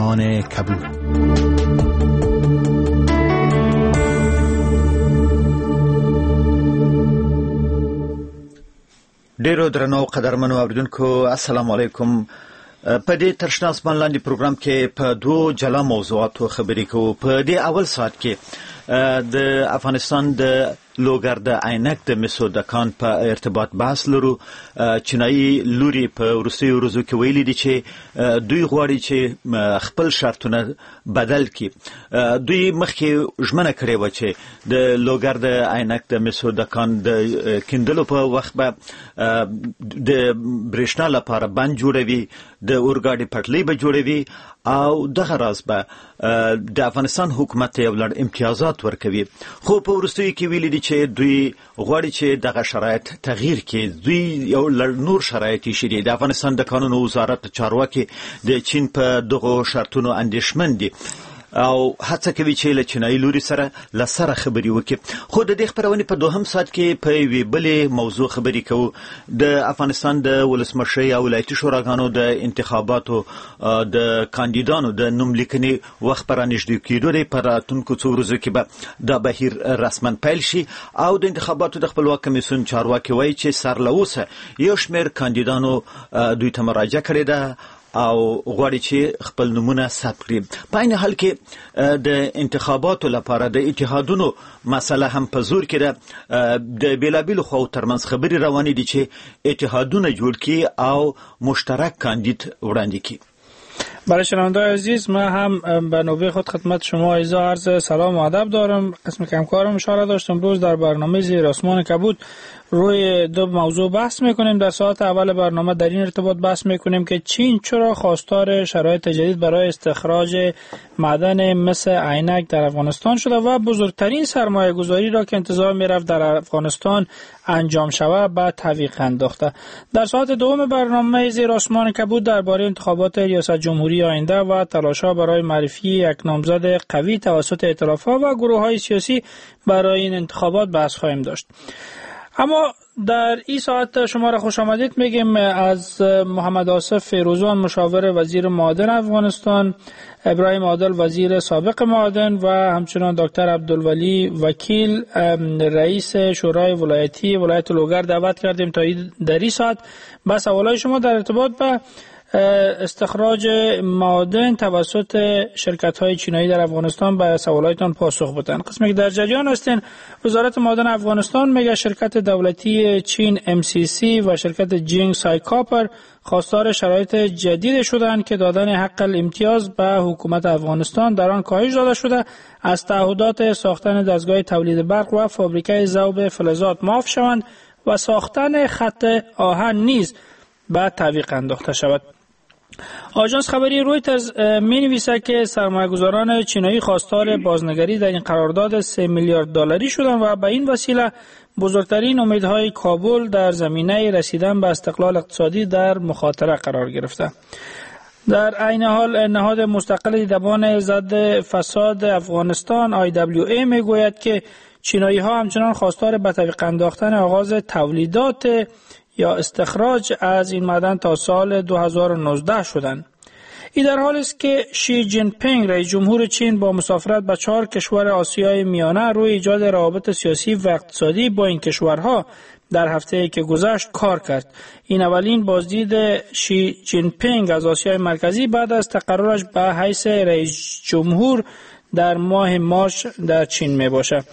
آسمان کبود. ډیرو درنو قدرمنو اوریدونکو، السلام علیکم. په دې تر شنه اسمان لاندې پروګرام کې په دوو جلا موضوعاتو خبرې کوو. په دې اول ساعت کې د افغانستان د لوګر د عینک د مسو د کان په ارتباط بحث لرو. چینایي لوري په وروستیو ورځو کې ویلي دي چې دوی غواړي چې خپل شرطونه بدل کړي. دوی مخکې ژمنه کړې وه چې د لوګر د عینک د مسو د کان د کیندلو په وخت به د برېښنا لپاره بند جوړوي، د اورګاډي پټلۍ به جوړوي او دغه راز به د افغانستان حکومت ته یو لړ امتیازات ورکوي. خو په وروستیو کې ویلي دي چې دوی غواړي چې دغه شرایط تغییر کړي. دوی یو لړ نور شرایط ایښي دي. د افغانستان د کانونو وزارت چارواکي د چین په دغو شرطونو اندېښمن دي او هڅه کوي چې له چینایي لوري سره له سره خبرې وکړي. خو د دې خپرونې په دوهم ساعت کې په یوې بلې موضوع خبرې کوو. د افغانستان د ولسمشرۍ او ولایتي شوراګانو د انتخاباتو د کاندیدانو د نوم لیکنې وخت په رانږدې کېدو دی. په راتلونکو څو ورځو کې به دا بهیر رسما پیل شي او د انتخاباتو د خپلواک کمیسیون چارواکي وایي چې سر له اوسه یو شمېر کاندیدانو دوی ته مراجعه کړې ده او غواړي چې خپل نومونه ثبت کړي. په عین حال کې د انتخاباتو لپاره د اتحادونو مسله هم په زور کې ده. د بېلابېلو خواوو ترمنځ خبرې روانې دي چې اتحادونه جوړ کړي او مشترک کاندید وړاندې کړي. برای شنونده‌های عزیز، من هم به نوبه خود خدمت شما عزیزا عرض سلام و ادب دارم. قسم که همکارم اشاره داشت، امروز در برنامه زیر آسمان کبود روی دو موضوع بحث میکنیم. در ساعت اول برنامه در این ارتباط بحث میکنیم که چین چرا خواستار شرایط جدید برای استخراج معدن مس عینک در افغانستان شده و بزرگترین سرمایه گذاری را که انتظار میرفت در افغانستان انجام شود به تعویق انداخته. در ساعت دوم برنامه زیر آسمان کبود درباره انتخابات ریاست جمهوری آینده و تلاش‌ها برای معرفی یک نامزد قوی توسط ائتلاف‌ها و گروه‌های سیاسی برای این انتخابات بحث خواهیم داشت. اما در این ساعت شما را خوش آمدید میگیم از محمد آصف فیروزان، مشاور وزیر معادن افغانستان، ابراهیم عادل وزیر سابق معادن و همچنان دکتر عبدالولی وکیل رئیس شورای ولایتی ولایت لوگر دعوت کردیم تا در این ساعت با سوالای شما در ارتباط به استخراج معادن توسط شرکت‌های چینایی در افغانستان به سوالاتتان پاسخ بدن. قسمی که در جریان هستین، وزارت معادن افغانستان میگه شرکت دولتی چین MCC و شرکت جینگ سای کاپر خواستار شرایط جدید شدند که دادن حق الامتیاز به حکومت افغانستان در آن کاهش داده شده، از تعهدات ساختن دستگاه تولید برق و فابریکه ذوب فلزات معاف شوند و ساختن خط آهن نیز به تعویق انداخته شود. آژانس خبری رویترز می‌نویسد که سرمایه‌گذاران چینایی خواستار بازنگری در این قرارداد 3 میلیارد دلاری شدند و به این وسیله بزرگترین امیدهای کابل در زمینه رسیدن به استقلال اقتصادی در مخاطره قرار گرفته. در عین حال نهاد مستقل دیدبان ضد فساد افغانستان IWA میگوید که چینایی ها همچنان خواستار به تعویق انداختن آغاز تولیدات یا استخراج از این معدن تا سال 2019 شدند. این در حال است که شی جین پینگ رئیس جمهور چین با مسافرت به 4 کشور آسیای میانه روی ایجاد روابط سیاسی و اقتصادی با این کشورها در هفته که گذشت کار کرد. این اولین بازدید شی جین پینگ از آسیای مرکزی بعد از تقررش به حیث رئیس جمهور در ماه مارچ در چین می باشد.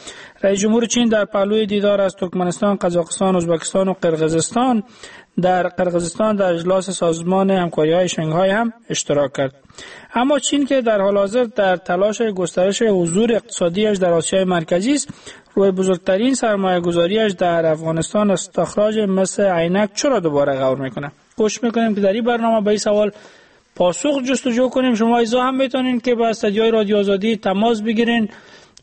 رئیس جمهور چین در پهلوی دیدار از ترکمنستان، قزاقستان، ازبکستان و قرقیزستان در قرقیزستان در اجلاس سازمان همکاری‌های شانگهای هم اشتراک کرد. اما چین که در حال حاضر در تلاش گسترش حضور اقتصادیش در آسیای مرکزی است، روی بزرگترین سرمایه‌گذاریش در افغانستان استخراج مس عینک چرا دوباره غور میکنه؟ کوشش میکنیم که در این برنامه به این سوال پاسخ جستجو کنیم. شما ایزا هم میتونین که با استدیوی رادیو آزادی تماس بگیرین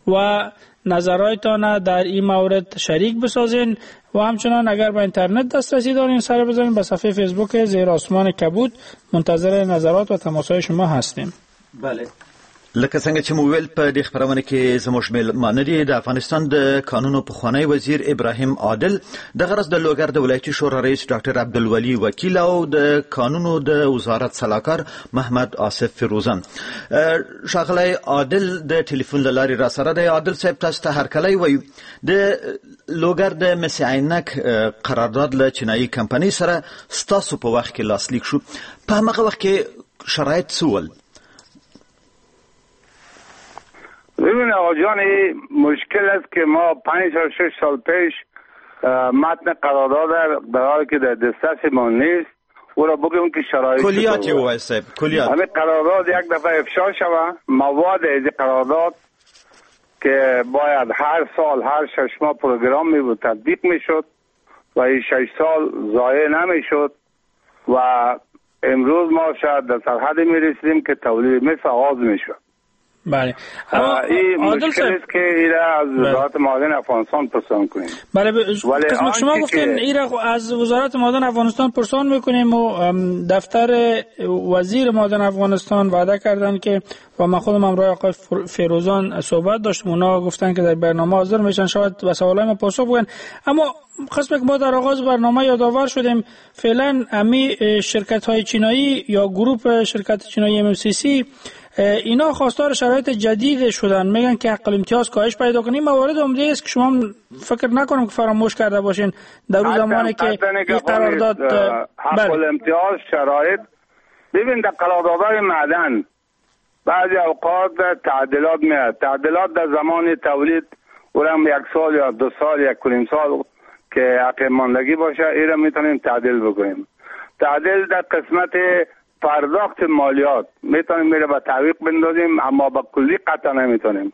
و نظرهایتان در این مورد شریک بسازین و همچنان اگر به اینترنت دسترسی دارین سر بزنین به صفحه فیسبوک زیر آسمان کبود. منتظر نظرات و تماس‌های شما هستیم. بله. لکه څنګه چې مو ویل، په دې خپرونه کې زموږ مېلمانه دي د افغانستان د کانونو پخوانی وزیر ابراهیم عادل، دغه راز د لوګر د ولایتي شورا رئیس ډاکټر عبدالولي وکیل او د کانونو د وزارت سلاکار محمد آصف فیروزان. ښاغلی عادل د ټلیفون له لارې راسره دی. عادل صاحب، تاسو ته هرکلی وایو. د لوګر د مس عینک قرارداد له چینایي کمپنۍ سره ستاسو په وخت کې لاسلیک شو. په هماغه وخت کې شرایط څه ول؟ ببین آقا جان، این مشکل است که ما 5 تا 6 سال پیش متن قرارداد در حالی که در دسترس ما نیست او را بگیم که شرایط کلیات وای صاحب، کلیات همه قرارداد یک دفعه افشا شوه. مواد از قرارداد که باید هر سال هر 6 ماه پروگرام می بود تطبیق میشد و این 6 سال ضایع نمیشد و امروز ما شاید در سرحد می رسیدیم که تولید مس آغاز میشد. بله، اما این مشکل است که ایره از وزارت معادن افغانستان پرسان کنیم. بله، قسم شما گفتین ایره از وزارت معادن افغانستان پرسان میکنیم و دفتر وزیر معادن افغانستان وعده کردن که و من خودم همراه آقای فیروزان صحبت داشتم، اونا گفتن که در برنامه حاضر میشن، شاید به سوالای ما پاسخ بگن. اما قسم که ما در آغاز برنامه یادآور شدیم، فعلا امی شرکت های چینایی یا گروپ شرکت چینایی MMCC اینا خواستار شرایط جدید شدن، میگن که حق الامتیاز کاهش پیدا کنه. این موارد عمده است که شما فکر نکنم که فراموش کرده باشین در اون زمانی که این قرارداد حق الامتیاز شرایط. ببین، در قراردادهای معدن بعضی اوقات تعدیلات میاد، تعدیلات در زمان تولید اونم 1 سال یا 2 سال 1.5 سال که حق ماندگی باشه این را میتونیم تعدیل بکنیم. تعدیل در قسمت پرداخت مالیات میتونیم میره به تعویق بندازیم، اما با کلی قطع نمیتونیم.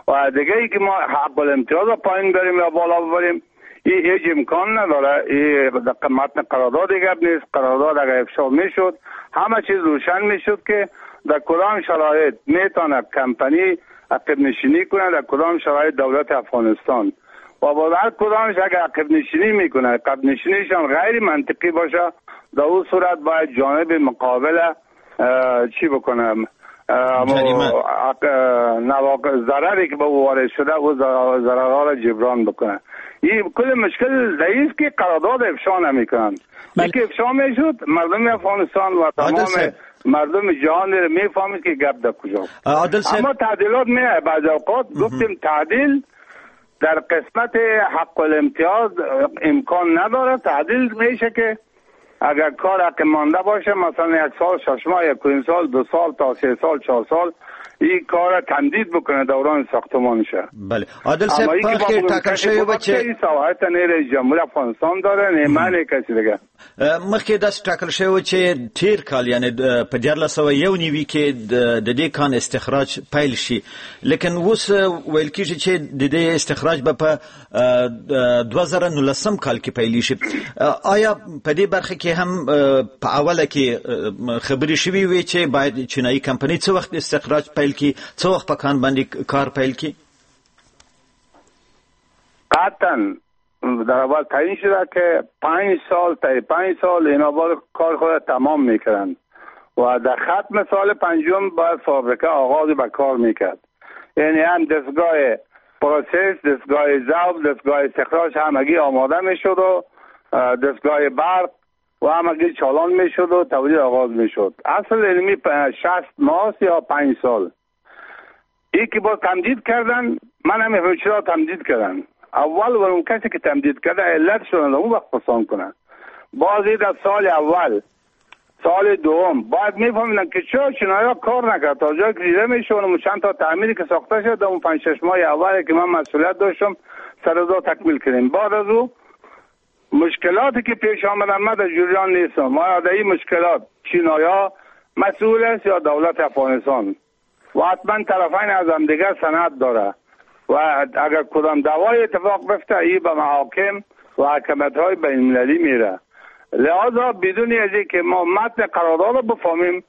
و دیگه ای که ما حق الامتیاز رو پایین بریم یا بالا ببریم این هیچ امکان نداره. این متن قرارداد گپ نیست. قرارداد اگر افشا میشد همه چیز روشن میشد که در کدام شرایط میتونه کمپانی عقب نشینی کنه، در کدام شرایط دولت افغانستان، و با هر کدامش اگر عقب نشینی میکنه عقب نشینیشان غیر منطقی باشه، در اون صورت باید جانب مقابل چی بکنه، ضرری که به او وارد شده او ضررها را جبران بکنه. این کل مشکل در است که قرارداد افشا نمیکنن. که افشا میشد مردم افغانستان و تمام مردم جهان را میفهمید که گپ در کجا. اما تعدیلات میه بعض اوقات. گفتیم تعدیل در قسمت حق الامتیاز امکان نداره. تعدیل میشه که اگر کار حق مانده باشه، مثلا 1 سال 6 ماه، 1.5 سال، 2 سال تا 3 سال 4 سال این کار تمدید بکنه دوران ساختمانشه. بله عادل صاحب، په ټاکل شوی و چې این صلاحیت نه رئیس جمهور افغانستان داره نه من کسی دیگه. مخکې داسې ټاکل شوی و چې تیر کال یعنی په 1491 کې د دې کان استخراج پیل شي، لیکن اوس ویل کیږي چې د دې استخراج به په 2019 کال کې پیل شي. آیا په دې برخه کې هم په اوله کې خبرې شوې وې چې باید چینایي کمپنۍ څه وخت استخراج پیل کی، څه وخت په کان باندې کار پیل کی؟ قطعا در اول تعیین شده که 5 سال تا 5 سال اینا باید کار خود تمام میکردن و در ختم سال 5 باید فابریکه آغاز به کار میکرد. یعنی هم دستگاه process، دستگاه ذوب، دستگاه استخراج همگی آماده میشد و دستگاه برق و همگی چالان میشد و تولید آغاز میشد. اصل علمی 60 ماه یا 5 سال. ای که با تمدید کردن، من هم چرا تمدید کردن. اول و اون کسی که تمدید کرده علت شدن اون وقت پسان کنن. بعضی در سال اول سال دوم باید میفهمیدن که چرا چنایا کار نکرد تا جایی که دیده میشه اون چند تا تعمیری که ساخته شد در اون 5-6 ماه اول که من مسئولیت داشتم سر دو تکمیل کردیم. بعد از او مشکلاتی که پیش آمدن من در جریان نیستم. ما در این مشکلات چینایا مسئول است یا دولت افغانستان و حتما طرفین از هم دیگر سند داره و اگر کدام دعوای اتفاق بفته ای به محاکم و حکمت‌های بین‌المللی میره. لذا بدون از اینکه ما متن قرارداد رو بفهمیم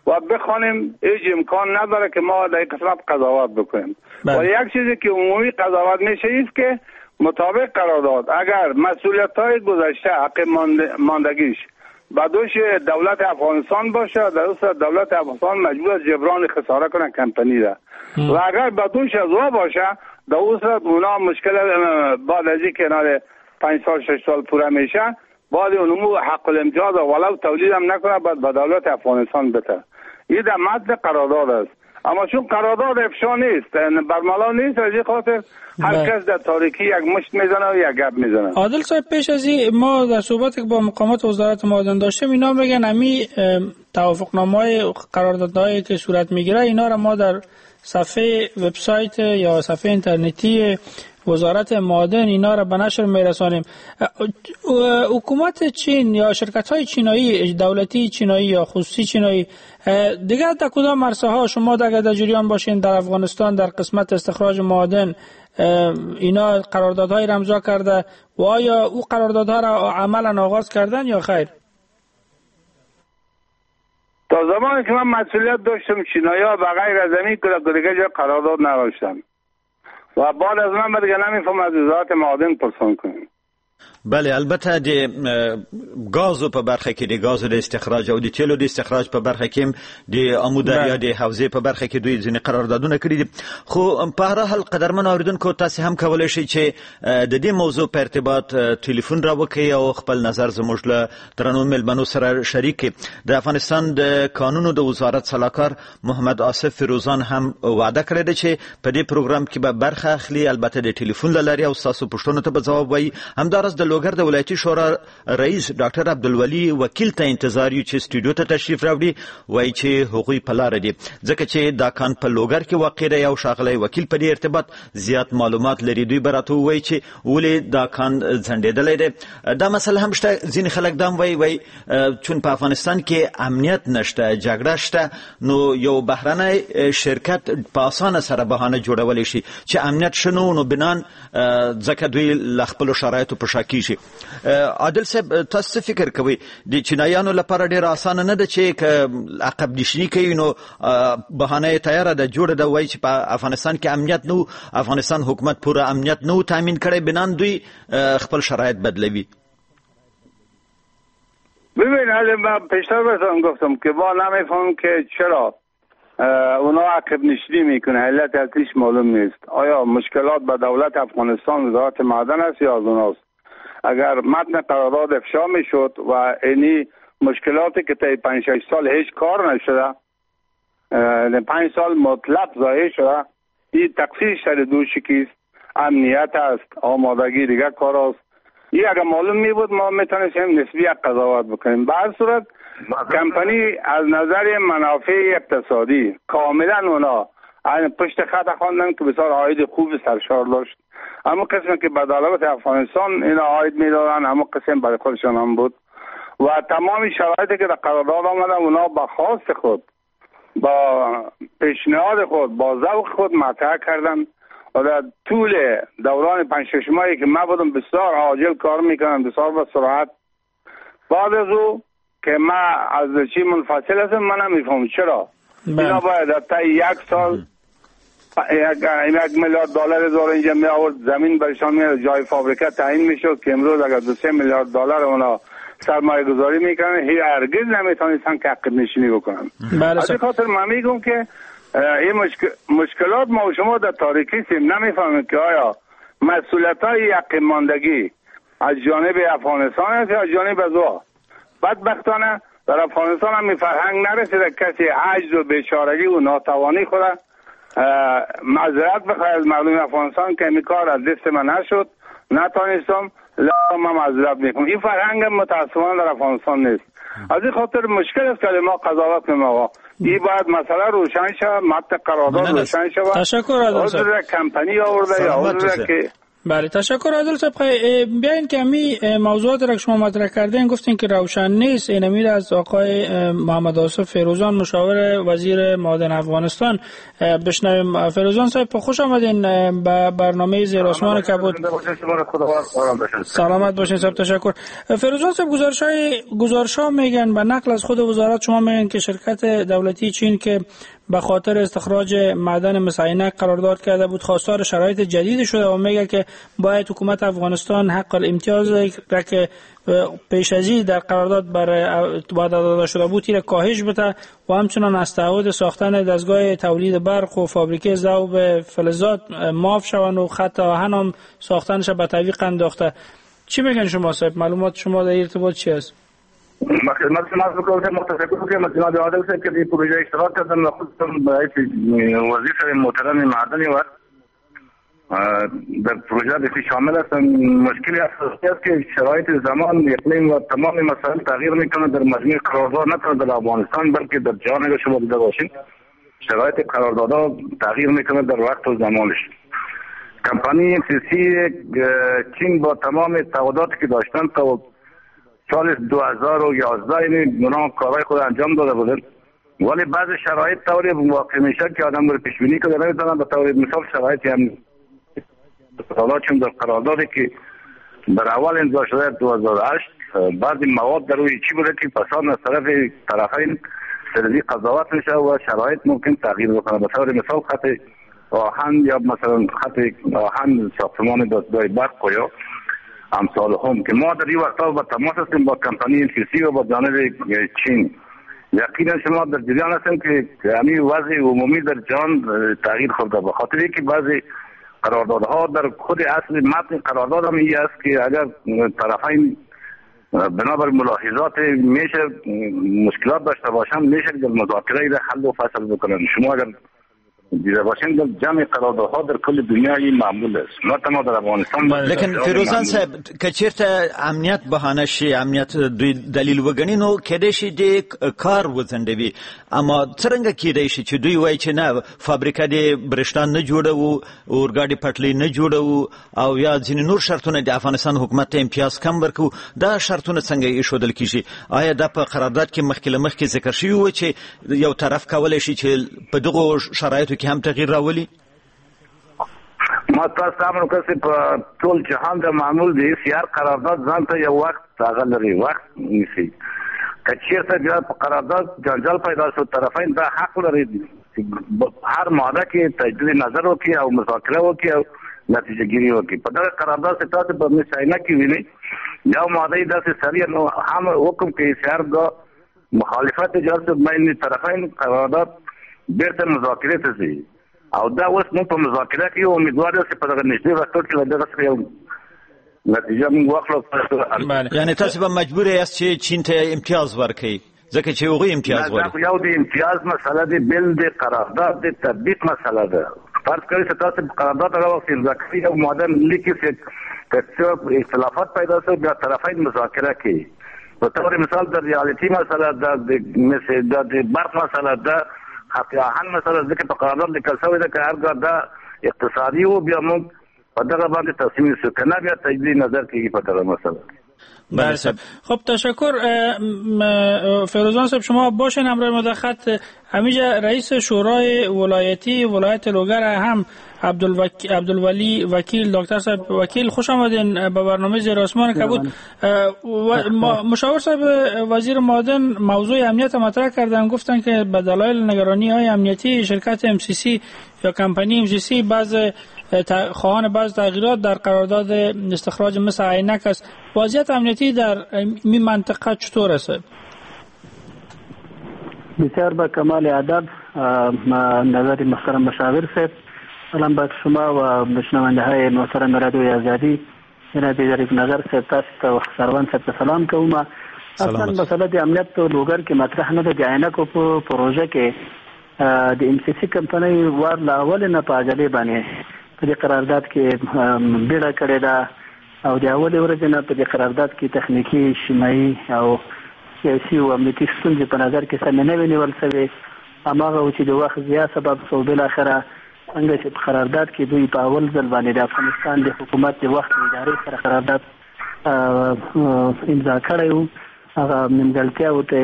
و بخوانیم هیچ امکان نداره که ما در این قسمت قضاوت بکنیم. و یک چیزی که عمومی قضاوت میشه است که مطابق قرارداد اگر مسئولیت‌های گذشته حق ماندگیش به دوش دولت افغانستان باشه، در اون دولت افغانستان مجبور است جبران خساره کنه کمپانی را. و اگر به دوش از او باشه، در اون صورت اونا مشکل بعد از این کنار 5 سال 6 سال پوره میشه، بعد اونمو حق الامتیاز ولو تولید هم نکنه بعد به دولت افغانستان بده. این در متن قرارداد است، اما چون قرارداد افشا نیست، برملا نیست، از این خاطر هر کس در تاریکی یک مشت میزنه و یک گپ میزنه. عادل صاحب، پیش از این ما در صحبت که با مقامات وزارت معادن داشتیم، اینا میگن امی توافقنامه‌های قراردادهایی که صورت میگیره اینا را ما در صفحه وبسایت یا صفحه اینترنتی وزارت معادن اینا را به نشر میرسانیم. حکومت چین یا شرکت های چینایی، دولتی چینایی یا خصوصی چینایی، دیگر در کدام عرصه ها شما اگر در جریان باشین در افغانستان در قسمت استخراج معادن اینا قراردادهای را امضا کرده و آیا او قراردادها را عملا آغاز کردن یا خیر؟ تا زمانی که من مسئولیت داشتم چینایی ها بغیر از این که دیگه جا قرارداد نداشتن و بعد از من دیگه نمیفهم از وزارت معادن پرسان کنیم. بله، البته د غازو په برخه کې، د غازو د استخراج او د تیلو د استخراج په برخه کې، د امو دریا د حوزې په برخه کې دوی ځینې قراردادونه کړي دي. خو په هر حال قدرمن اوریدونکو، تاسو هم کولای شئ چې د دې موضوع په ارتباط ټلیفون را وکړئ او خپل نظر زموږ له درنو میلمنو سره شریک کړئ. د افغانستان د کانونو د وزارت سلاکار محمد آصف فیروزان هم وعده کړې ده چې په دې پروګرام کې به برخه اخلي، البته د ټلیفون له لارې، او ستاسو پوښتنو ته به ځواب وایي. همداراز د لوګر د ولایتي شورا رئیس ډاکټر عبدالولي وکیل ته انتظار یو چې سټوډیو ته تشریف راوړي، وایي چې هغوی په لاره دي، ځکه چې دا کان په لوګر کې واقع دی او ښاغلی وکیل په دې ارتباط زیات معلومات لري. دوی به راته ووایي چې ولې دا کان ځنډېدلی دی. دا مسله هم شته، ځینې خلک دا هم وایي چون په افغانستان کې امنیت نشته، جګړه شته، نو یو بهرنی شرکت په اسانه سره بهانه جوړولی شي چې امنیت شنو، نو بنان ځکه دوی له خپلو شرایطو په شا کیږي. عادل صاحب، تاسو څه فکر کوئ د چینایانو لپاره ډېره اسانه نه ده چې که عقب نشیني کوي نو بهانه یې تیاره ده، جوړه ده، وایي چې په افغانستان کې امنیت نه و، افغانستان حکومت پوره امنیت نه و تامین کړی، بنان دوی خپل شرایط بدلوي؟ ببین، من پیشتر بهتون گفتم که با نمیفهم که چرا اونا عقب نشینی میکنه، علت اصلیش معلوم نیست. آیا مشکلات به دولت افغانستان وزارت معدن است یا از اوناست؟ اگر متن قرارداد افشا میشد و اینی مشکلاتی که طی 5-6 سال هیچ کار نشده، 5 سال مطلق ضایع شده، این تقصیر سر دوش کیست؟ امنیت است، آمادگی دیگه کار است. این اگر معلوم می بود ما میتونستیم نسبی قضاوت بکنیم. به هر صورت کمپانی از نظر منافع اقتصادی کاملا اونا پشت خط خواندن که بسیار عاید خوب سرشار داشت. اما قسم که به دولت افغانستان اینا عاید میدادن، اما قسم برای خودشان هم بود و تمام شرایطی که در قرارداد آمده اونا با خواست خود، با پیشنهاد خود، با ذوق خود مطرح کردن و در طول دوران 5-6 ماهی که من بودم بسیار عاجل کار میکنم، بسیار با سرعت. بعد از او که من از چی منفصل هستم، من نمیفهمم چرا اینا باید در طی یک سال 1 میلیارد دلار زور اینجا می آورد، زمین برشان می جای فابریکه تعیین میشد که امروز اگر 2-3 میلیارد دلار اونا سرمایه گذاری میکنن هیچ هرگز نمیتونستن که عقب نشینی بکنن. از این خاطر من میگم که این مشکلات ما و شما در تاریکی سیم، نمیفهمیم که آیا مسئولیت های عقب ماندگی از جانب افغانستان است یا از جانب از او. بدبختانه در افغانستان هم فرهنگ نرسیده کسی عجز و بیچارگی و ناتوانی خود معذرت بخواد از مردم افغانستان که این کار از دست من نشد، نتانستم، لا من معذرت میکنم. این فرهنگ متاسفانه در افغانستان نیست. از این خاطر مشکل است که ما قضاوت کنیم. آقا این باید مسئله روشن شود، متن قرارداد روشن شود. تشکر عادل صاحب. کمپانی آورده یا که بله، تشکر عادل صاحب. بیاین که امی موضوعات را که شما مطرح کردین گفتین که روشن نیست، این امیر از آقای محمد آصف فیروزان مشاور وزیر معادن افغانستان بشنویم. فیروزان صاحب خوش آمدین به برنامه زیر آسمان کبود. سلامت باشین صاحب، تشکر. فیروزان صاحب، گزارش ها میگن به نقل از خود وزارت شما میگن که شرکت دولتی چین که به خاطر استخراج معدن مس عینک قرارداد کرده بود خواستار شرایط جدید شده و میگه که باید حکومت افغانستان حق الامتیاز را که پیش از این در قرارداد برای وعده داده شده بود را کاهش بده و همچنان از تعهد ساختن دستگاه تولید برق و فابریکه ذوب فلزات معاف شوند و خط آهن هم ساختنش به تعویق انداخته. چی میگن شما صاحب؟ معلومات شما در ارتباط چی است؟ ما خدمت شما عرض می‌کنم که متشکرم که جناب عادل صاحب که این پروژه اشتراک کردن و خودتون به حیث وزیر محترم معدنی و در پروژه بسیار شامل هستند. مشکل اساسی است که شرایط زمان، اقلیم و تمام مسائل تغییر میکنه در مجموع قرارداد، نه تنها در افغانستان بلکه در جهان. اگر شما دیده باشین شرایط قراردادها تغییر میکنه در وقت و زمانش. کمپانی MCC چین با تمام تعهداتی که داشتن تا سال 2011 یعنی اونا کارهای خود انجام داده بودن، ولی بعض شرایط طوری واقع میشه که آدم رو پیش بینی کنه نمیتونن. به طور مثال شرایط هم حالا چون در قراردادی که در اول امضا شده 2008 بعضی مواد در روی چی بوده که پسان از طرف طرفین سرزی قضاوت میشه و شرایط ممکن تغییر بکنه. به طور مثال خط آهن یا مثلا خط آهن ساختمان دستگاه برق و یا امثال هم که ما در این وقتا با تماس هستیم با کمپانی MCC و با جانب چین. یقینا شما در جریان هستیم که همین وضع عمومی در جهان تغییر خورده، به خاطر اینکه بعضی قراردادها در خود اصل متن قرارداد هم این است که اگر طرفین بنابر ملاحظات میشه مشکلات داشته باشند میشه در مذاکره را حل و فصل بکنن. شما اگر دیده باشین در جمع قراردادها در کل دنیا این معمول است، نه تنها در افغانستان. لیکن فیروزان صاحب که چیرته امنیت بهانه شي، امنیت دوی دلیل وګڼي، نو کېدای شي د کار وځنډوي، اما څرنګه کېدای شي چې دوی وایي چې نه فابریکه دې برېښنا نه جوړوو، اورګاډي پټلۍ نه جوړوو او یا ځینې نور شرطونه د افغانستان حکومت ته امتیاز کم ورکوو، دا شرطونه څنګه ایښودل کېږي؟ آیا دا په قرارداد کې مخکې له مخکې ذکر شوي وو چې یو طرف کولی شي چې په دغو شرایطو کې هم تغییر راولي؟ ما تاسو ته امر وکړ چې په ټول جهان د معمول دی چې هر قرارداد ځان ته یو وخت هغه لري، وخت نیسي. که چیرته بیا په قرارداد جنجال پیدا شو طرفین دا حق لري چې هر ماده کې تجدید نظر وکړي او مذاکره وکړي او نتیجه ګیري وکړي. په دغه قرارداد کې تاسو په مساینه کې وینئ یو ماده داسې سریع نو هم حکم کوي چې هرګاه مخالفت ایجاد شد بین طرفین قرارداد بیرته مذاکرې ته ځي. او دا اوس موږ په مذاکره کې یو امیدوار یو چې په دغه نږدې وختو کې له دغه څخه یو نتیجه موږ واخلو. یعنی تاسو به مجبور یاست چې چین ته امتیاز ورکړئ ځکه چې هغوی امتیاز غواړي؟ دا یو د امتیاز مسله ده، بل د قرارداد د تطبیق مسله ده. فرض کړئ چې تاسو قرارداد هغه وخت امضا کړئ یو ماده لیکي چې که څه اختلافات پیدا شو بیا طرفین مذاکره کوي. به طور مثال د ریالیټي مسله ده، د برق مسله ده، خط آهن مسله ځکه په قرارداد لیکل شوې ده که هرګاه دا اقتصادي و بیا موږ په دغه باندې تصمیم نیسو، که نه بیا تجدید نظر کېږي په دغه مسله. بله صاحب. خب تشکر فیروزان صاحب، شما باشین همراه ما در خط. همیشه رئیس شورای ولایتی ولایت لوگر هم عبدالولی وکیل، دکتر صاحب وکیل، خوش آمدین به برنامه زیر آسمان کبود. مشاور صاحب وزیر معادن موضوع امنیت مطرح کردن، گفتن که به دلایل نگرانی های امنیتی شرکت MCC یا کمپانی MCC بعض خواهان بعض تغییرات در قرارداد استخراج مس عینک است. وضعیت امنیتی در این منطقه چطور است؟ بسیار با کمال ادب نظر محترم مشاور صاحب، سلام بر شما و شنونده های محترم رادیو آزادی. جناب ظریف نظر صاحب تاسو ته سروان صاحب ته سلام کوم. اصلا مسله د امنیت په لوګر کې مطرح نه ده. د عینکو په پروژه کې د MCC کمپنۍ وار له اول نه په عجلې باندې په دې قرارداد کې بیړه کړې ده او د اولې ورځې نه په دې قرارداد کې تخنیکي، اجتماعي او سیاسي او امنیتي ستونزې په نظر کې سمې نه وې نیول شوې. هماغه و چې د وخت ضیاع سبب شو. بالاخره څنګه چې په قرارداد کې دوی په اول ځل باندې د افغانستان د حکومت د وخت ادارې سره قرارداد امضا کړی و، هغه نیمګړتیاوو ته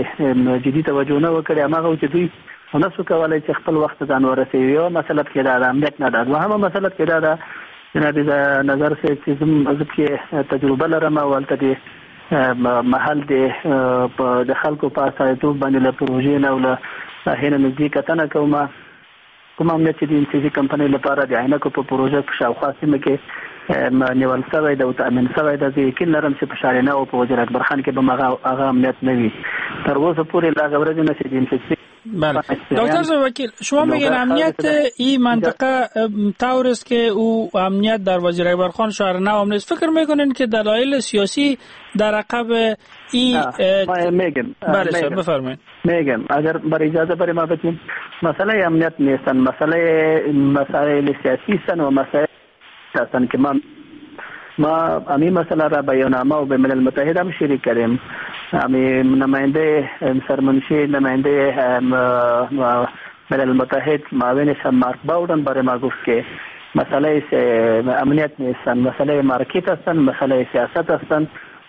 جدي توجه نه وکړې. هماغه و چې دوی ونه شو کولی چې خپل وخت ځان ورسوي. یوه مسله پکې دا ده، امنیت نه ده. دوهمه مسله پکې دا ده جناب نظر صاحب چې زه پکې تجربه لرم او هلته د محل د خلکو په استازیتوب باندې له پروژې نه او له ساحې نه نږدې کتنه کوم. کوم امنیت چې د ام سي سي کمپنۍ لپاره د عینکو په پروژه په شاوخوا سیمه کې نیول شوی دی او تامین شوی دی، زه یقین لرم چې په شارینه او په وزیر اکبر خان کې به هغه امنیت نه وي. تر اوسه پورې له هغه ورځې نه چې د ام سي سي. بله دکتر وکیل، شما میگین امنیت این منطقه طور است که او امنیت در وزیر اکبر خان شهر نو هم نیست. فکر میکنین که دلایل سیاسی در عقب این؟ میگم. بله بفرمایید. میگم اگر بر اجازه برای ما بدین، مسئله امنیت نیستن، مسئله مسائل سیاسی هستن و مسائل هستن که ما امی مسئله را به یوناما و به ملل متحد هم شریک کردیم. امی نماینده سرمنشی نماینده ملل متحد معاونش مارک باودن برای ما گفت که مسئله امنیت نیستن، مسئله market هستن، مسئله سیاست هستن.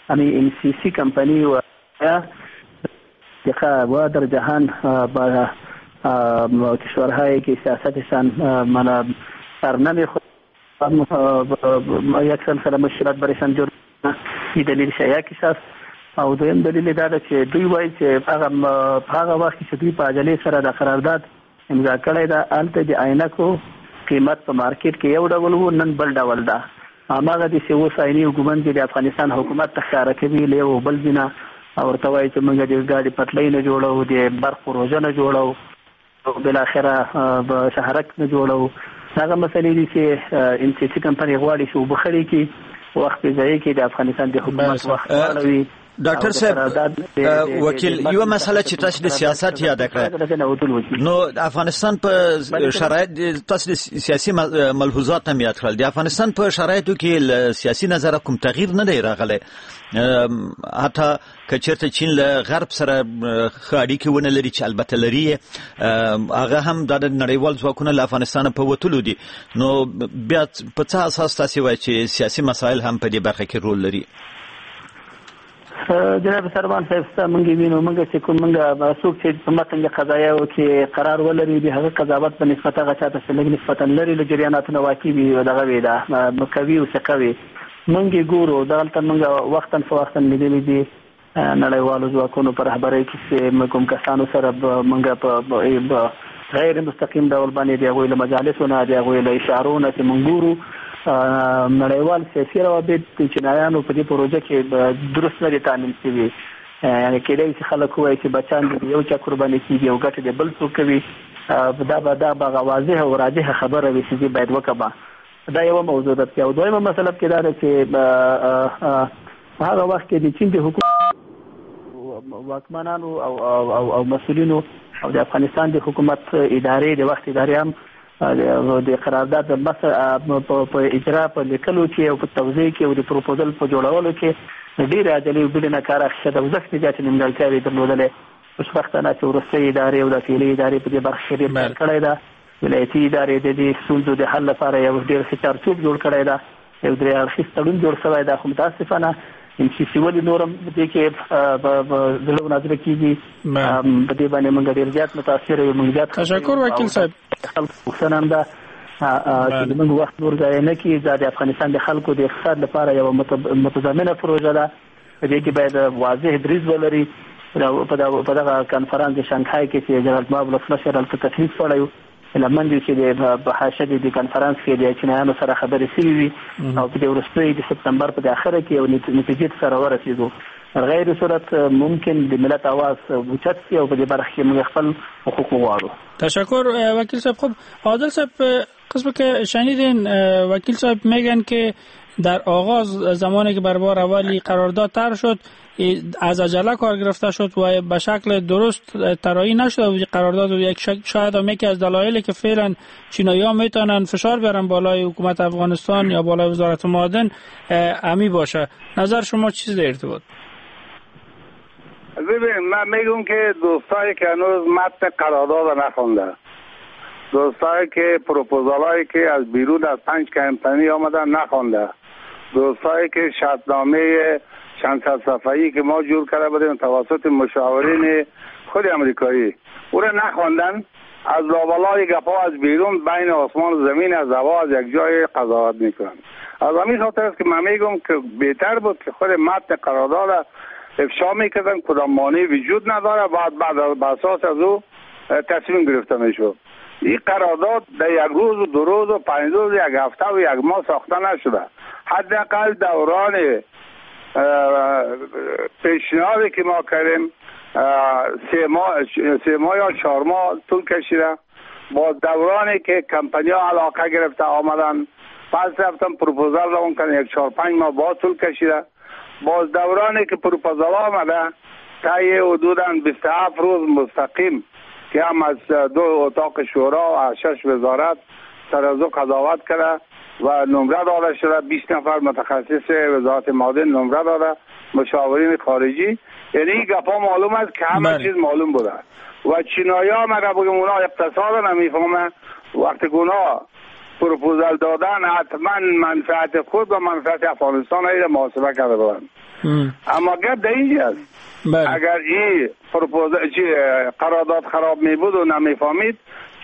امی ام سی سی کمپانی و و در جهان با کشورهایی که سیاستشان من سر نمیخورد یک سلسله مشکلات برایشان جور، این دلیل یکیش است. او دویم دلیل دا ده چې دوی وایي چې هغه په هغه وخت کې چې دوی په عجلې سره د قرارداد امضا کړی ده، هلته د عینکو قیمت په مارکیټ کې یو ډول و، نن بل ډول ده. هماغه داسې اوس عیني ګومنځې د افغانستان حکومت ته ښکاره کوي له یو بل ځای نه او ورته وایي چې موږ د ګاډي پټلۍ نه جوړو، د برق پروژه نه جوړو، او بالاخره شهرک نه جوړو. هغه مسلې دي چې ام سي سي کمپنۍ غواړي چې اوبه خړې کړي، وخت په ځای کې د افغانستان د حکومت وخت واړوي. ډاکټر صاحب وکیل، یو مسله چې تاسو د سیاست یاد کړه، نو افغانستان په شرایط تاسو د سیاسي ملحوظات هم یاد کړل، د افغانستان په شرایطو کې له سیاسي نظره کوم تغییر نه دی راغلی. حتی که چېرته چین له غرب سره ښه اړیکې ونه لري چې البته لري، هغه هم د نړیوال ځواکونه له افغانستانه په وتلو دي، نو بیا په څه اساس تاسو وایئ چې سیاسي مسایل هم په دې برخه کې رول لري؟ جناب سربان صاحب، مونږ وینو، مونږ چې کوم مونږ څوک چې په متن د قضایاو کې قرار ولري، د هغه قضاوت په نسبت هغه چاته چې لږ نسبتاً لري له جریاناتو نه واقع وي او دغه وي دا قوي او ثقه وي. مونږ یې ګورو دغلته مونږ وختاً فوختاً لیدلي دي نړیوالو ځواکونو په رهبرۍ کې چې کوم کسانو سره مونږ په غیر مستقیم ډول باندې د هغوی له مجالسو نه، د هغوی له اشارو نه چې مونږ ګورو نړیوال سیاسي روابط د چینایانو په دې پروژه کې درست نه دي تامین شوي. یعنې کېدای شي خلک ووایي چې بچیان د یو چا قرباني کېږي او ګټې د بل څوک کوي، دا به هغه واضح او راجحه خبره وي چې زه باید وکړم. دا یوه موضوع ده. او دویمه مسله پکې دا ده چې په هغه وخت کې د چین د حکومت واکمنانو او او او مسؤلینو او د افغانستان د حکومت ادارې د وخت ادارې هم د قرارداد د په اجرا په لیکلو کې او په توضیح کې او د پروپوزل په جوړولو کې ډېرې عجلې او بېړې نه کار اخیستی ده او زښتې زیاتې نیمګړتیاوې درلودلې. خوشبختانه چې وروستۍ ادارې او د فعلي ادارې په دې برخه کې ډېر کار کړی ده. ولایتي ادارې د دې ستونزو د حل لپاره یو ډېر ښه چارچوب جوړ کړی ده، یو درې اړخیز تړون جوړ شوی ده. خو متاسفانه ام سي سي ولې نور هم دې کې زړه نازله کېږي، په دې باندې موږ ډېر زیات متاثر یو. موږ زیات تشکر وکیل صاحب. خلکو پوښتنه هم ده چې موږ وخت نور ضایع نه کړي. دا د افغانستان د خلکو د اقتصاد لپاره یوه متضمنه پروژه ده، په دې کې باید واضح دریځ ولري. په دغه کنفرانس د شانګهای کې چې جلالت مآب ولسمشر هلته تشریف وړی و، هیله مند یو چې د حاشیه د کنفرانس کې د چینایانو سره خبرې شوې وي او په دې وروستیو د سپتمبر په اخره کې یو نتیجې ته سره ورسېدو. غیر صورت ممکن د ملت آواز اوچت شي او په دې برخه کې موږ خپل حقوق وغواړو. تشکر وکیل صاحب. خب عادل صاحب، قسم که شنیدین وکیل صاحب میگن که در آغاز زمانی که بر بار اولی قرارداد طرح شد از عجله کار گرفته شد و به شکل درست طراحی نشد و قرارداد یک شاید هم یکی از دلایلی که فعلا چینایی‌ها میتونن فشار بیارن بالای حکومت افغانستان یا بالای وزارت معادن امی باشه. نظر شما چیز در ارتباط؟ ببین، من میگم که دوستایی که هنوز متن قرارداد نخونده، دوستایی که پروپوزالایی که از بیرون از 5 کمپانی آمدن نخونده، دوستایی که شرطنامه چند صد صفحه‌ای که ما جور کرده بودیم توسط مشاورین خود امریکایی او را نخواندن، از لابلای گپا از بیرون بین آسمان و زمین از هوا از یک جای قضاوت میکنن. از همین خاطر است که من میگم که بهتر بود که خود متن قرارداد افشا میکردن، کدام مانع وجود نداره، بعد به اساس از او تصمیم گرفته میشد. این قرارداد در یک روز و دو روز و 5 روز، یک هفته و یک ماه ساخته نشده. حداقل دوران پیشنهادی که ما کردیم 3 ماه یا 4 ماه طول کشیده. با دورانی که کمپانیا علاقه گرفته آمدن، پس رفتن پروپوزال روان کردن، یک 4-5 ماه باز طول کشیده. باز دورانی که پروپوزال آمده طی حدوداً 27 روز مستقیم که هم از 2 اتاق شورا و 6 وزارت سر از او قضاوت کرده و نمره داده شده. 20 نفر متخصص وزارت معادن نمره داده، مشاورین خارجی. یعنی این گپا معلوم است که همه چیز معلوم بوده. و چینایی ها مگر بگم اونا اقتصاد نمیفهمه، وقتی که اونا پروپوزال دادن حتما منفعت خود و منفعت افغانستان را محاسبه کرده بودن. اما گپ در اینجا است، اگر این پروپوزال قرارداد خراب می بود و نمیفهمید،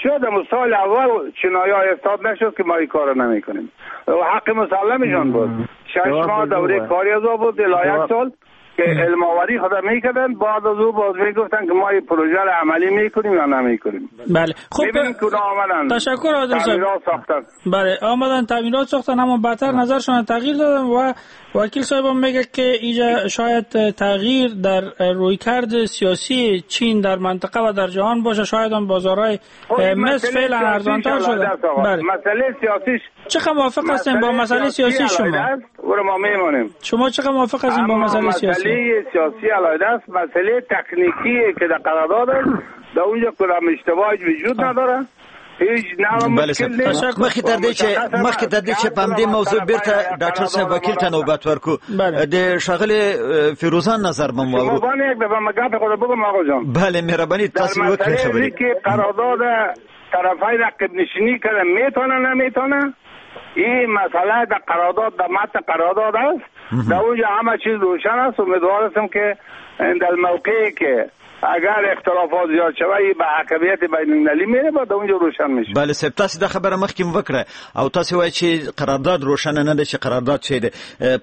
شاید در سال اول چینایی ها استاد نشد که ما این کار نمی کنیم و حق مسلمشان بود. 6 ماه دوره کاری از او بود، الی 1 سال که علم آوری خدا میکردن. بعد از او باز میگفتن که ما این پروژه را عملی میکنیم یا نمیکنیم. بله خب تشکر عادل صاحب. بله آمدن تعمیرات ساختن، اما بعدتر نظرشان تغییر دادن و وکیل صاحب هم میگه که اینجا شاید تغییر در رویکرد سیاسی چین در منطقه و در جهان باشه، شاید هم بازارهای مصر فعلا ارزانتر شده. بله. مسئله سیاسیش چقدر موافق هستین با مسئله سیاسی شما؟ ما میمانیم. شما چقدر موافق هستین با مسئله سیاسی؟ مسئله سیاسی علاوه است، مسئله تکنیکی که در قرارداد است، در اونجا کدام اشتباهی وجود نداره. هیچ نوع مشکل نیست. مخکې تر دې چې په همدې موضوع بیرته ډاکټر صاحب وکیل ته نوبت ورکو، د ښاغلي فیروزان نظر به مو واورو. مهرباني یک دفعه ما ګپ خو بگم آقا جان. بله مهرباني تاسو وکړئ خبرې. که قرارداد طرفین عقب نشینی کرده میتونه نمیتونه، این مسئله در قرارداد، در متن قرارداد است، در اونجا همه چیز روشن است. امیدوار هستم که در موقعی که اگر اختلافات زیاد شوه به حاکمیت بین المللی میره، بعد اونجا روشن میشه. بله صاحب تاسو دا خبره مخکې وکړه او تاسو وایئ چې قرارداد روشن نه ده، چې قرارداد څه دی،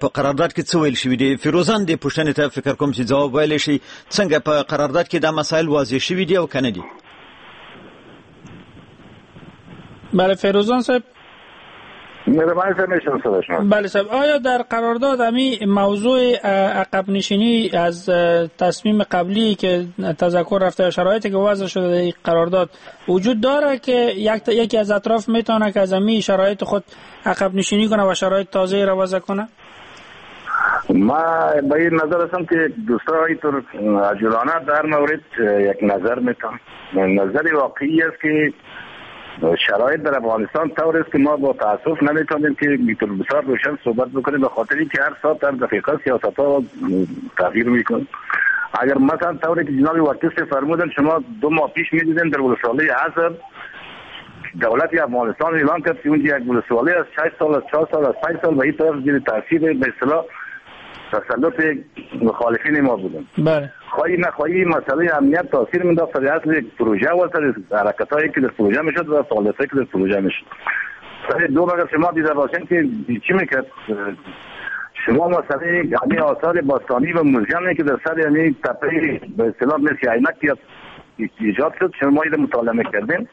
په قرارداد کې څه ویل شوي دي؟ فیروزان دې پوښتنې ته فکر کوم چې ځواب ویلی شي. څنګه په قرارداد کې دا مسایل واضح شوي دي او که نه دي؟ بله فیروزان صاحب. بله صاحب، آیا در قرارداد همی موضوع عقب نشینی از تصمیم قبلی که تذکر رفته و شرایطی که وضع شده در قرارداد وجود داره که یکی از اطراف میتونه که از همی شرایط خود عقب نشینی کنه و شرایط تازه را وضع کنه؟ ما به این نظر هستم که دوستان اینطور عجولانه در مورد یک نظر میتونم. نظر واقعی است که شرایط در افغانستان طور است که ما با تاسف نمیتونیم که بسیار روشن صحبت بکنیم، به خاطر اینکه هر ساعت هر دقیقه سیاست ها تغییر میکنه. اگر مثلا طوری که جناب وکیل فرمودن، شما 2 ماه پیش میدیدین در ولسوالی حصر دولت افغانستان اعلان کرد که اونجا یک ولسوالی از 6 سال، از 4 سال، از 5 سال به این طرف زیر تاثیر به اصطلاح تسلط مخالفین ما بودن. بله. خواهی نخواهی مسئله امنیت تاثیر می‌انداخت سر اصل پروژه و سر حرکت‌هایی که در پروژه میشد و فعالیت‌هایی که در پروژه میشد. سر دو مگر شما دیده باشین که چی میکرد؟ شما مسئله یعنی آثار باستانی و موزیمی که در سر یعنی تپه به اصطلاح مثل عینک ایجاد شد، شما اینو مطالعه می‌کردین.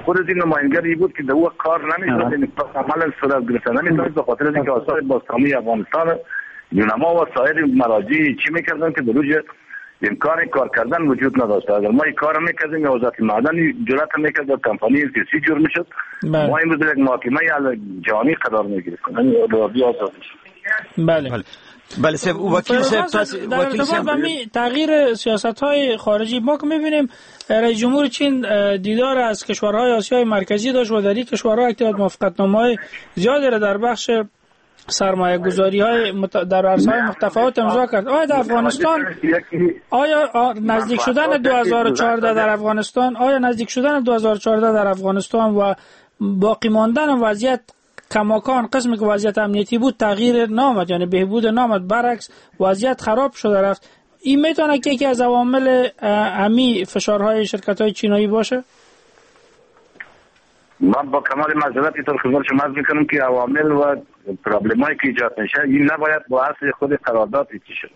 خود از این نماینگری بود که در او کار نمی‌شد، یعنی عملا صورت گرفته نمی‌شد به خاطر اینکه آثار باستانی افغانستان یونما و سایر مراجع چی میکردن که در امکان کار کردن وجود نداشت. اگر ما این کار میکردیم یا وزارت معدن جرأت میکرد و کمپانی سی جور میشد، ما امروز یک محاکمه جهانی قرار میگرفتیم. بله بله صاحب وکیل صاحب، در ارتباط با تغییر سیاست های خارجی ما که میبینیم رئیس جمهور چین دیدار از کشورهای آسیای مرکزی داشت و در این کشورها یک تعداد موافقتنامه‌های زیادی را در بخش سرمایه گذاری های در عرصه‌های متفاوت امضا کرد. آیا در افغانستان، آیا نزدیک شدن 2014 در افغانستان، آیا نزدیک شدن 2014 در افغانستان و باقی ماندن وضعیت کماکان قسمی که وضعیت امنیتی بود تغییر نامد، یعنی بهبود نامد، برعکس وضعیت خراب شده رفت، این میتونه که یکی از عوامل امی فشارهای شرکت‌های چینایی باشه؟ من با کمال معذرت اینطور خدمت شما عرض میکنم که عوامل و پرابلمایی که ایجاد میشه این نباید با اصل خود قرارداد ایجاد شد.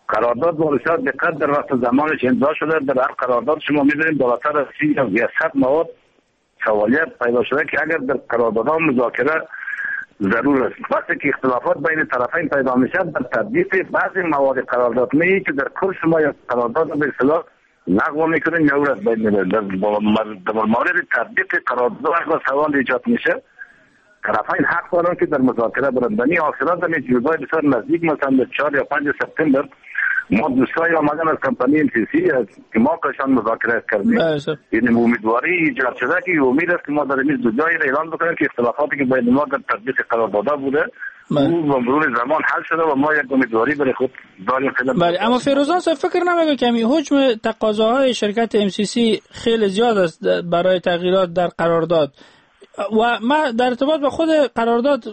قرارداد با بسیار دقت در وقت زمانش امضا شده. در هر قرارداد شما می‌بینید بالاتر از 30 یا 100 مواد سوالیت پیدا شده که اگر در قراردادها مذاکره ضرور است. وقتی که اختلافات بین طرفین پیدا میشه در تطبیق بعضی مواد قرارداد می که در کل شما یا قرارداد به اصطلاح لغو میکنین یا از بین میبرید. در مورد تطبیق قرارداد سوال ایجاد میشه، طرفین حق دارند که در مذاکره برند. بنی آخرات در جزای بسیار نزدیک، مثلا 4 یا 5 سپتامبر ما دوستای آمدن از کمپانی MCC که ما کشان مذاکره کردیم، یعنی امیدواری ایجاد شده که امید است که ما در این دو جای اعلان بکنیم که اختلافاتی که بین ما در تطبیق قرارداد بوده او با مرور زمان حل شده و ما یک امیدواری برای خود داریم. بله، اما فیروزان صاحب فکر نمی‌کنم که همین حجم تقاضاهای شرکت MCC خیلی زیاد است برای تغییرات در قرارداد و ما در ارتباط با خود قرارداد،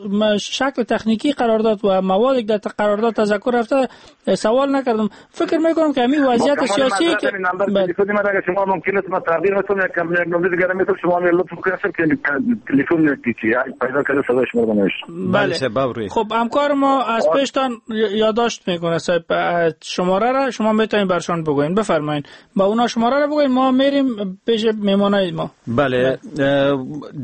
شکل تکنیکی قرارداد و موادی که در قرارداد تذکر رفته سوال نکردم. فکر میکنم که همین وضعیت سیاسی که تلفن من اگر شما ممکن است ما تغییر بدم یک نمبر دیگه میتونم شما لطف کنید که تلفن پیدا کرده صدای شما رو بنویسم. بله، خب همکار ما از پیشتان یادداشت میکنه صاحب شماره را، شما میتونید برشان بگوین. بفرمایید با اونا شماره را بگوین، ما میریم پیش مهمانای ما. بله،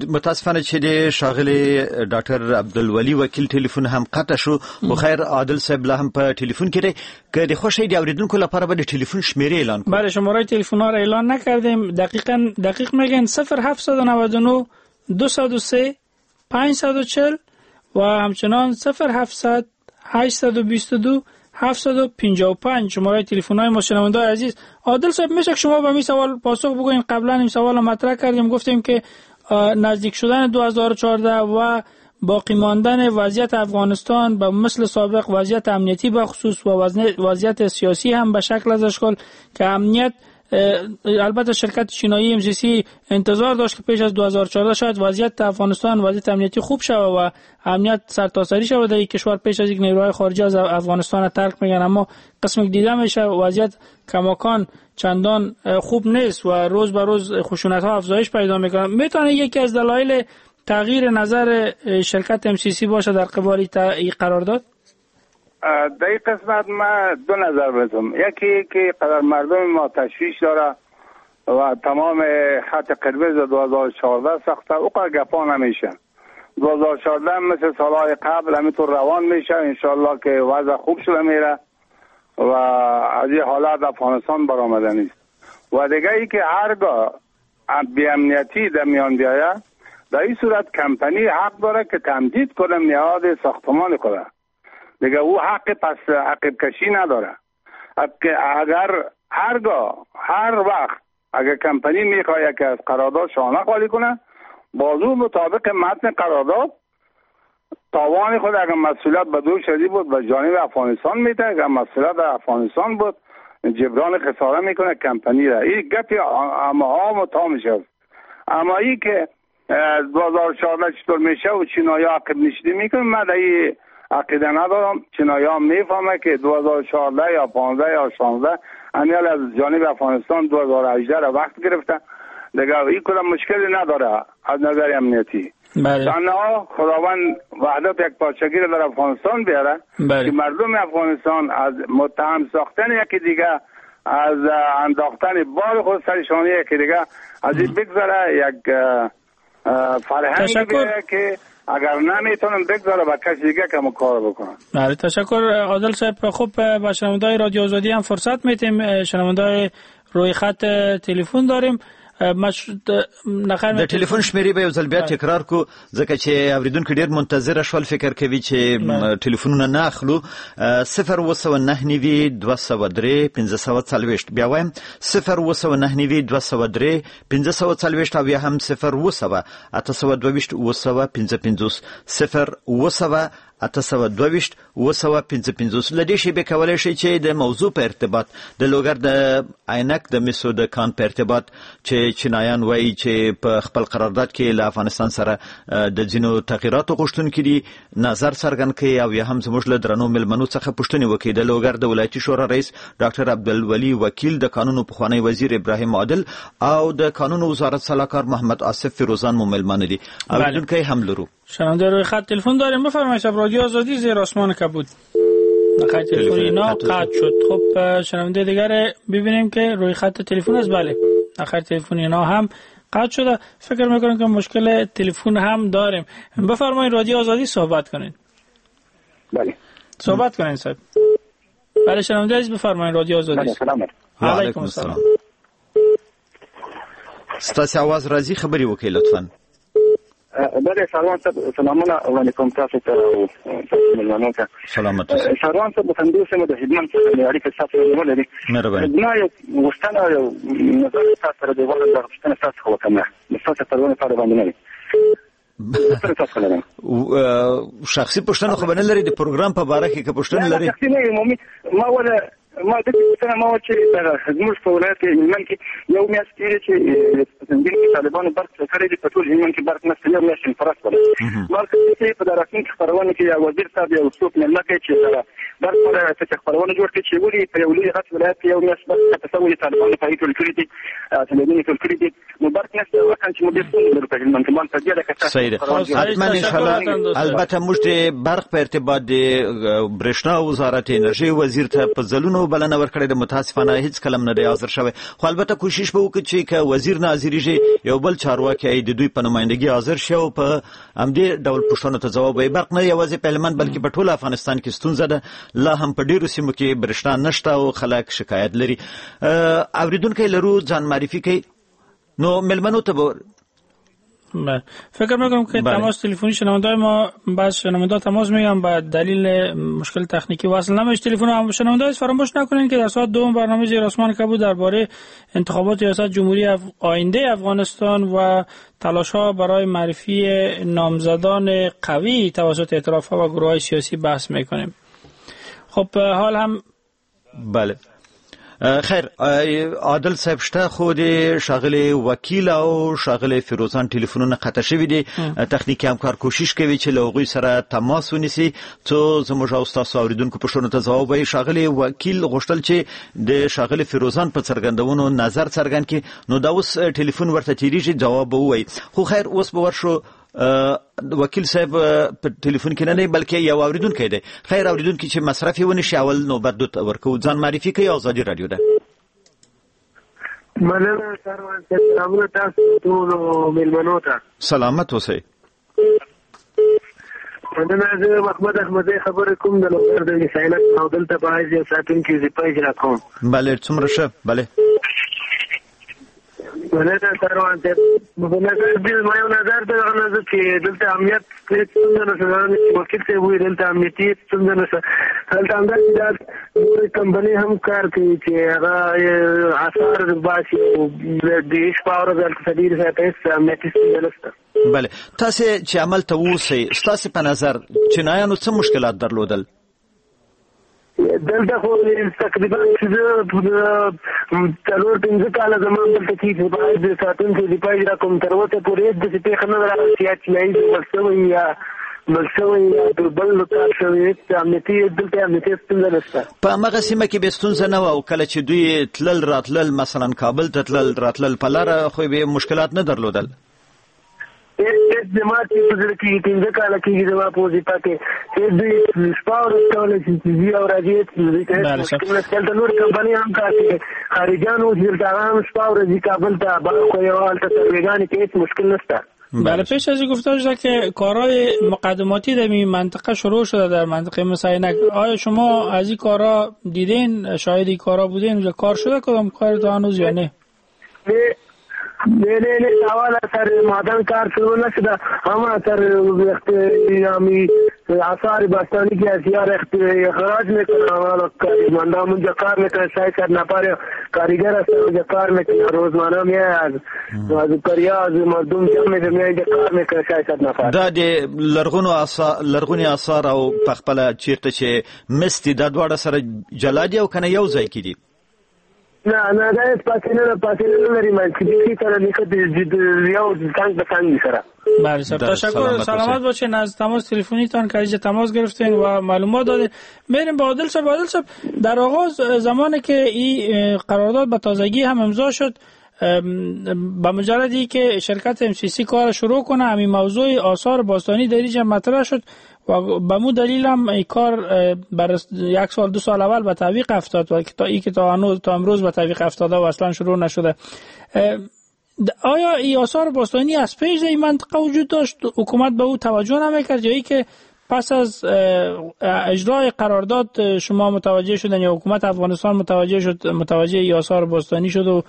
متاسفانه چې د ښاغلي ډاکټر عبدالولي وکیل ټلیفون هم قطع شو. خو خیر عادل صاحب لا هم په ټلیفون کې دی. که د خوښۍ د اوریدونکو لپاره به د ټلیفون شمیرې اعلان کړو. بله، شماره تلفن ها را اعلان نکردیم. دقیق میگن 0799 203 540 و همچنان 0700 822 755 شماره تلفن های ما. شنونده‌های عزیز، عادل صاحب میشه که شما به این سوال پاسخ بگوین؟ قبلا این سوال مطرح کردیم، گفتیم که نزدیک شدن 2014 و باقی ماندن وضعیت افغانستان به مثل سابق، وضعیت امنیتی به خصوص و وضعیت سیاسی هم به شکل از اشکال که امنیت، البته شرکت چینایی MCC انتظار داشت که پیش از 2014 شاید وضعیت افغانستان، وضعیت امنیتی خوب شود و امنیت سرتاسری شود در کشور پیش از اینکه نیروهای خارجی از افغانستان ترک میگن، اما قسمی که دیده میشه وضعیت کماکان چندان خوب نیست و روز به روز خشونت ها افزایش پیدا میکنه. میتونه یکی از دلایل تغییر نظر شرکت MCC باشه در قبال این قرارداد؟ در این قسمت ما دو نظر بدم. یکی که قدر مردم ما تشویش داره و تمام خط قرمز 2014 ساخته او قدر گپا نمیشه. 2014 مثل سالهای قبل همینطور روان میشه، انشالله که وضع خوب شده میره و از این حالت افغانستان برآمده نیست. و دیگه ای که هرگاه بی‌امنیتی در میان بیاید، در این صورت کمپانی حق داره که تمدید کنه میعاد ساختمان خود. دیگه او حق پس عقب کشی نداره. اگر هرگاه هر وقت اگر کمپانی میخواد که از قرارداد شانه خالی کنه، بازو مطابق متن قرارداد تاوان خود اگر مسئولیت به دوش ازی بود به جانب افغانستان میده، اگر مسئولیت در افغانستان بود جبران خساره میکنه کمپانی را. این گپی اما ها تا میشه. اما ای که 2014 چطور میشه و چینایی عقب نشینی میکنه، من در این عقیده ندارم. چینایی ها میفهمه که 2014 یا 15 یا 16 امیال از جانب افغانستان 2018 را وقت گرفته، دیگه این کدام مشکلی نداره از نظر امنیتی. بله. تنها خداوند وحدت یک پارچگی را در افغانستان بیاره. بله. که مردم افغانستان از متهم ساختن یکی دیگه، از انداختن بار خود سر شانه یکی دیگه، از این بگذره یک فرهنگ بیاره که اگر نمیتونم بگذاره با کسی دیگه که کار بکنم. بله، تشکر عادل صاحب. خب با شنونده‌های رادیو آزادی هم فرصت میتیم. شنونده‌های روی خط تلفن داریم. د ټلیفون شمیرې به یو ځل بیا تکرار کو، ځکه چې اوریدونکي ډیر منتظر شول، فکر کوي چې ټلیفونونه نه اخلو. 079 203 540، بیا وایم 079 203 540 او یا هم 0 822 855 0 822 855. له دې شیبې کولی شئ چې د موضوع په ارتباط، د لوګر د عینک د مسو د کان په ارتباط چې چینایان وایي چې په خپل قرارداد کې له افغانستان سره د ځینو تغییراتو غوښتونکي دي، نظر څرګند کړئ او یا هم زموږ له درنو مېلمنو څخه پوښتنې وکړئ. د لوګر د ولایتي شورا رئیس ډاکټر عبدالولي وکیل، د کانونو پخوانی وزیر ابراهیم عادل او د کانونو وزارت سلاکار محمد آصف فیروزان مو مېلمانه دي. اورېدونکی هم لرو. شنونده روی خط تلفن داریم. بفرمایید. رادیو آزادی زیر آسمان کبود. خط تلفن اینا قطع شد. خب شنونده دیگر ببینیم که روی خط تلفن است. بله، خط تلفن اینا هم قطع شده. فکر میکنم که مشکل تلفن هم داریم. بفرمایید رادیو آزادی صحبت کنین. بله صحبت کنین صاحب. بله شنونده عزیز بفرمایید رادیو آزادی. بله سلام علیکم السلام. ستاسو आवाज راځي، خبرې وکړئ لطفاً. بله سلام صاحب، سلامونه وړاندې کوم تاسو ته او تاسو مېلمنو ته. سلامت اوسئ. سلام صاحب، وطندوست یم، د هلمند څخه مې اړیکه ستاسو سره نیولې. مهرباني. زما یو غوښتنه او یو نظر ستاسو سره دی، غواړم دغه پوښتنه ستاسو څخه وکړم، ستاسو خپرونې په اړه باندې نه وي. شخصي پوښتنه خو به نه لري د پروګرام په باره کې که پوښتنه لري؟ شخصي نه، عمومي. ما وله ما د پوښتنه ما چې زموږ په ولایت کې هلمند کې یو میاشت کېږي چې زنګین کې طالبانو برق کړی دی، په ټول هلمند کې برق نشته، یو میاشت انفراس ولا. ما چې په راتلونکي خپرونه کې یو وزیر صاحب یو څوک مېلمه کوي چې برق ولا چې خپرونه جوړ کړي چې ولې په یو لوی غټ ولایت کې یو میاشت برق ته څه طالبانو په ټول کړی دي، تلویزیون ټول کړی دي، نو برق نشته. وکړ چې موږ ډېر ستونزې لرو په هلمند کې. ما په دې لکه صحیح ده. حتما ان شاء الله. البته موږ د برق په ارتباط د برېښنا وزارت انرژي وزیر ته په ځلونو بلنه ورکړې ده، متاسفانه هیڅ کلم نه دی حاضر شوی. خو البته کوشش به وکړو چې که وزیر نه حاضرېږي یو بل چارواکی د دوی په نمایندګي حاضر شي او په همدې ډول پوښتنو ته ځواب وایي. برق نه یوازې په هلمند بلکې په ټول افغانستان کې ستونزه ده، لا هم په ډیرو سیمو کې برېښنا نشته او خلک شکایت لري. اوریدونکی لرو، ځان معرفي کوي، نو مېلمنو ته به بله. فکر میکنم که بله. تماس تلفنی شنونده‌های ما، بعض شنونده تماس میگم به دلیل مشکل تکنیکی وصل نمیشه تلفن. هم شنونده فراموش نکنین که در ساعت دوم برنامه زیر آسمان کبود درباره انتخابات ریاست جمهوری آینده افغانستان و تلاش‌ها برای معرفی نامزدان قوی توسط ائتلاف‌ها و گروه‌های سیاسی بحث میکنیم. خب حال هم بله خیر عادل صاحب شته، خو د ښاغلي وکیل او ښاغلي فیروزان ټلیفونونه قطع شوي دي. تخنیکي همکار کوشش کوي چې له هغوی سره تماس ونیسي څو زموږ او ستاسو اورېدونکو پوښتنو ته ځواب وایي. ښاغلي وکیل غوښتل چې د ښاغلي فیروزان په څرګندونو نظر څرګند کړي، نو دا اوس ټلیفون ورته تېرېږي، ځواب به ووایي. خو خیر اوس به ورشو وکیل صاحب په ټلیفون کې نه دی بلکې یو اوریدونکی دی. خیر اوریدونکی چې مصرف یې ونشي اول نوبت دوی ته ورکوو. ځان معرفي کوي، ازادي راډیو ده. مننه سروان صاحب، سلامونه تاسو ټولو مېلمنو ته. سلامت اوسئ. مننه، زه محمد احمدزی خبرې کوم د لوګر د وسایلت او دلته په حیث یو ساتونکی وظیفه اجرا کوم. بله څومره ښه. بله مننه سروان صاحب. په نظر دې زما یو نظر دی، هغه نظر چې دلته امنیت هېڅ ستونزه نشته. چې وکیل صاحب وایي دلته امنیتي هېڅ ستونزه نشته. هلته همداسې دا نورې کمپنۍ هم کار کوي چې هغه آثار باسي او د شپه ورځ هلته څلور ساعته هېڅ امنیتي ستونزه نشته. بله تاسې چې عمل ته اوسئ، ستاسې په نظر چینایانو څه مشکلات درلودل؟ دلته خو تقریبا چې زه 4-5 کاله زما دلته کېږي، باید د ساتونکي وظیفه اجرا کوم، تر اوسه پورې هېڅ داسې پېښه نه ده راغلې چې یا چینایي ژوبل شوی یا مړ شوی یا د بل کار شوی. هېڅ امنیتي دلته امنیتي ستونزه نشته. په هماغه سیمه کې به ستونزه نه وه او کله چې دوی تلل راتلل، مثلا کابل ته تلل راتلل، په لاره خو یې مشکلات نه درلودل؟ هېڅ زما چې په زړه کېږي 5 کاله کېږي زما په وظیفه کې چې دوی شپه ورځ کولی شي چې ځي او راځي، هېڅ دوی ته هېڅ مشکل نشته. هلته نورې کمپنۍ هم کار کوي، خارجیان اوس دلته هغه هم شپه ورځ ځي کابل ته، خو یو هلته سروېګانې کې هېڅ مشکل نشته. بله پیش از این گفته شده که کارهای مقدماتی در این منطقه شروع شده، در منطقه مسینک. آیا شما از این کارها دیدین، شاهد این کارها بودین؟ اونجا کار شده کدام کار تا هنوز یا نه؟ نه نه نه، اول سر معدن کار شروع نشده، اما سر آثار باستانی که اشیاء اخراج میکنه، کارمندان اونجا کار میکنه، 600 نفر کاریگر هستن اونجا کار میکنه، روزمانه میاد از کریا از مردم جمع میشه میاد اینجا کار میکنه 600 نفر. دا د لرغوني آثار او په خپله چیرته چې مس دي دا دواړه سره جلا دي او کنه یو ځای کې دي؟ نه نه، دا هېڅ فاصله نه لري، منځ کې سره نښتې یو څنګ به څنګ سره. بله سر، تشکر، سلامت باشین از تماس تلفنیتان که اینجا تماس گرفتین و معلومات دادین. میریم با عادل صاحب. عادل صاحب، در آغاز زمانی که این قرارداد به تازگی هم امضا شد، به مجردی که شرکت MCC کار شروع کنه همین موضوع آثار باستانی در اینجا مطرح شد و به مو دلیل هم این کار بر یک سال دو سال اول به تعویق افتاد و تا ای که تا امروز به تعویق افتاده و اصلا شروع نشده. آیا این آثار باستانی از پیش در این منطقه وجود داشت، حکومت به او توجه نمیکرد، یا ای که پس از اجرای قرارداد شما متوجه شدن یا حکومت افغانستان متوجه شد، متوجه این آثار باستانی شد و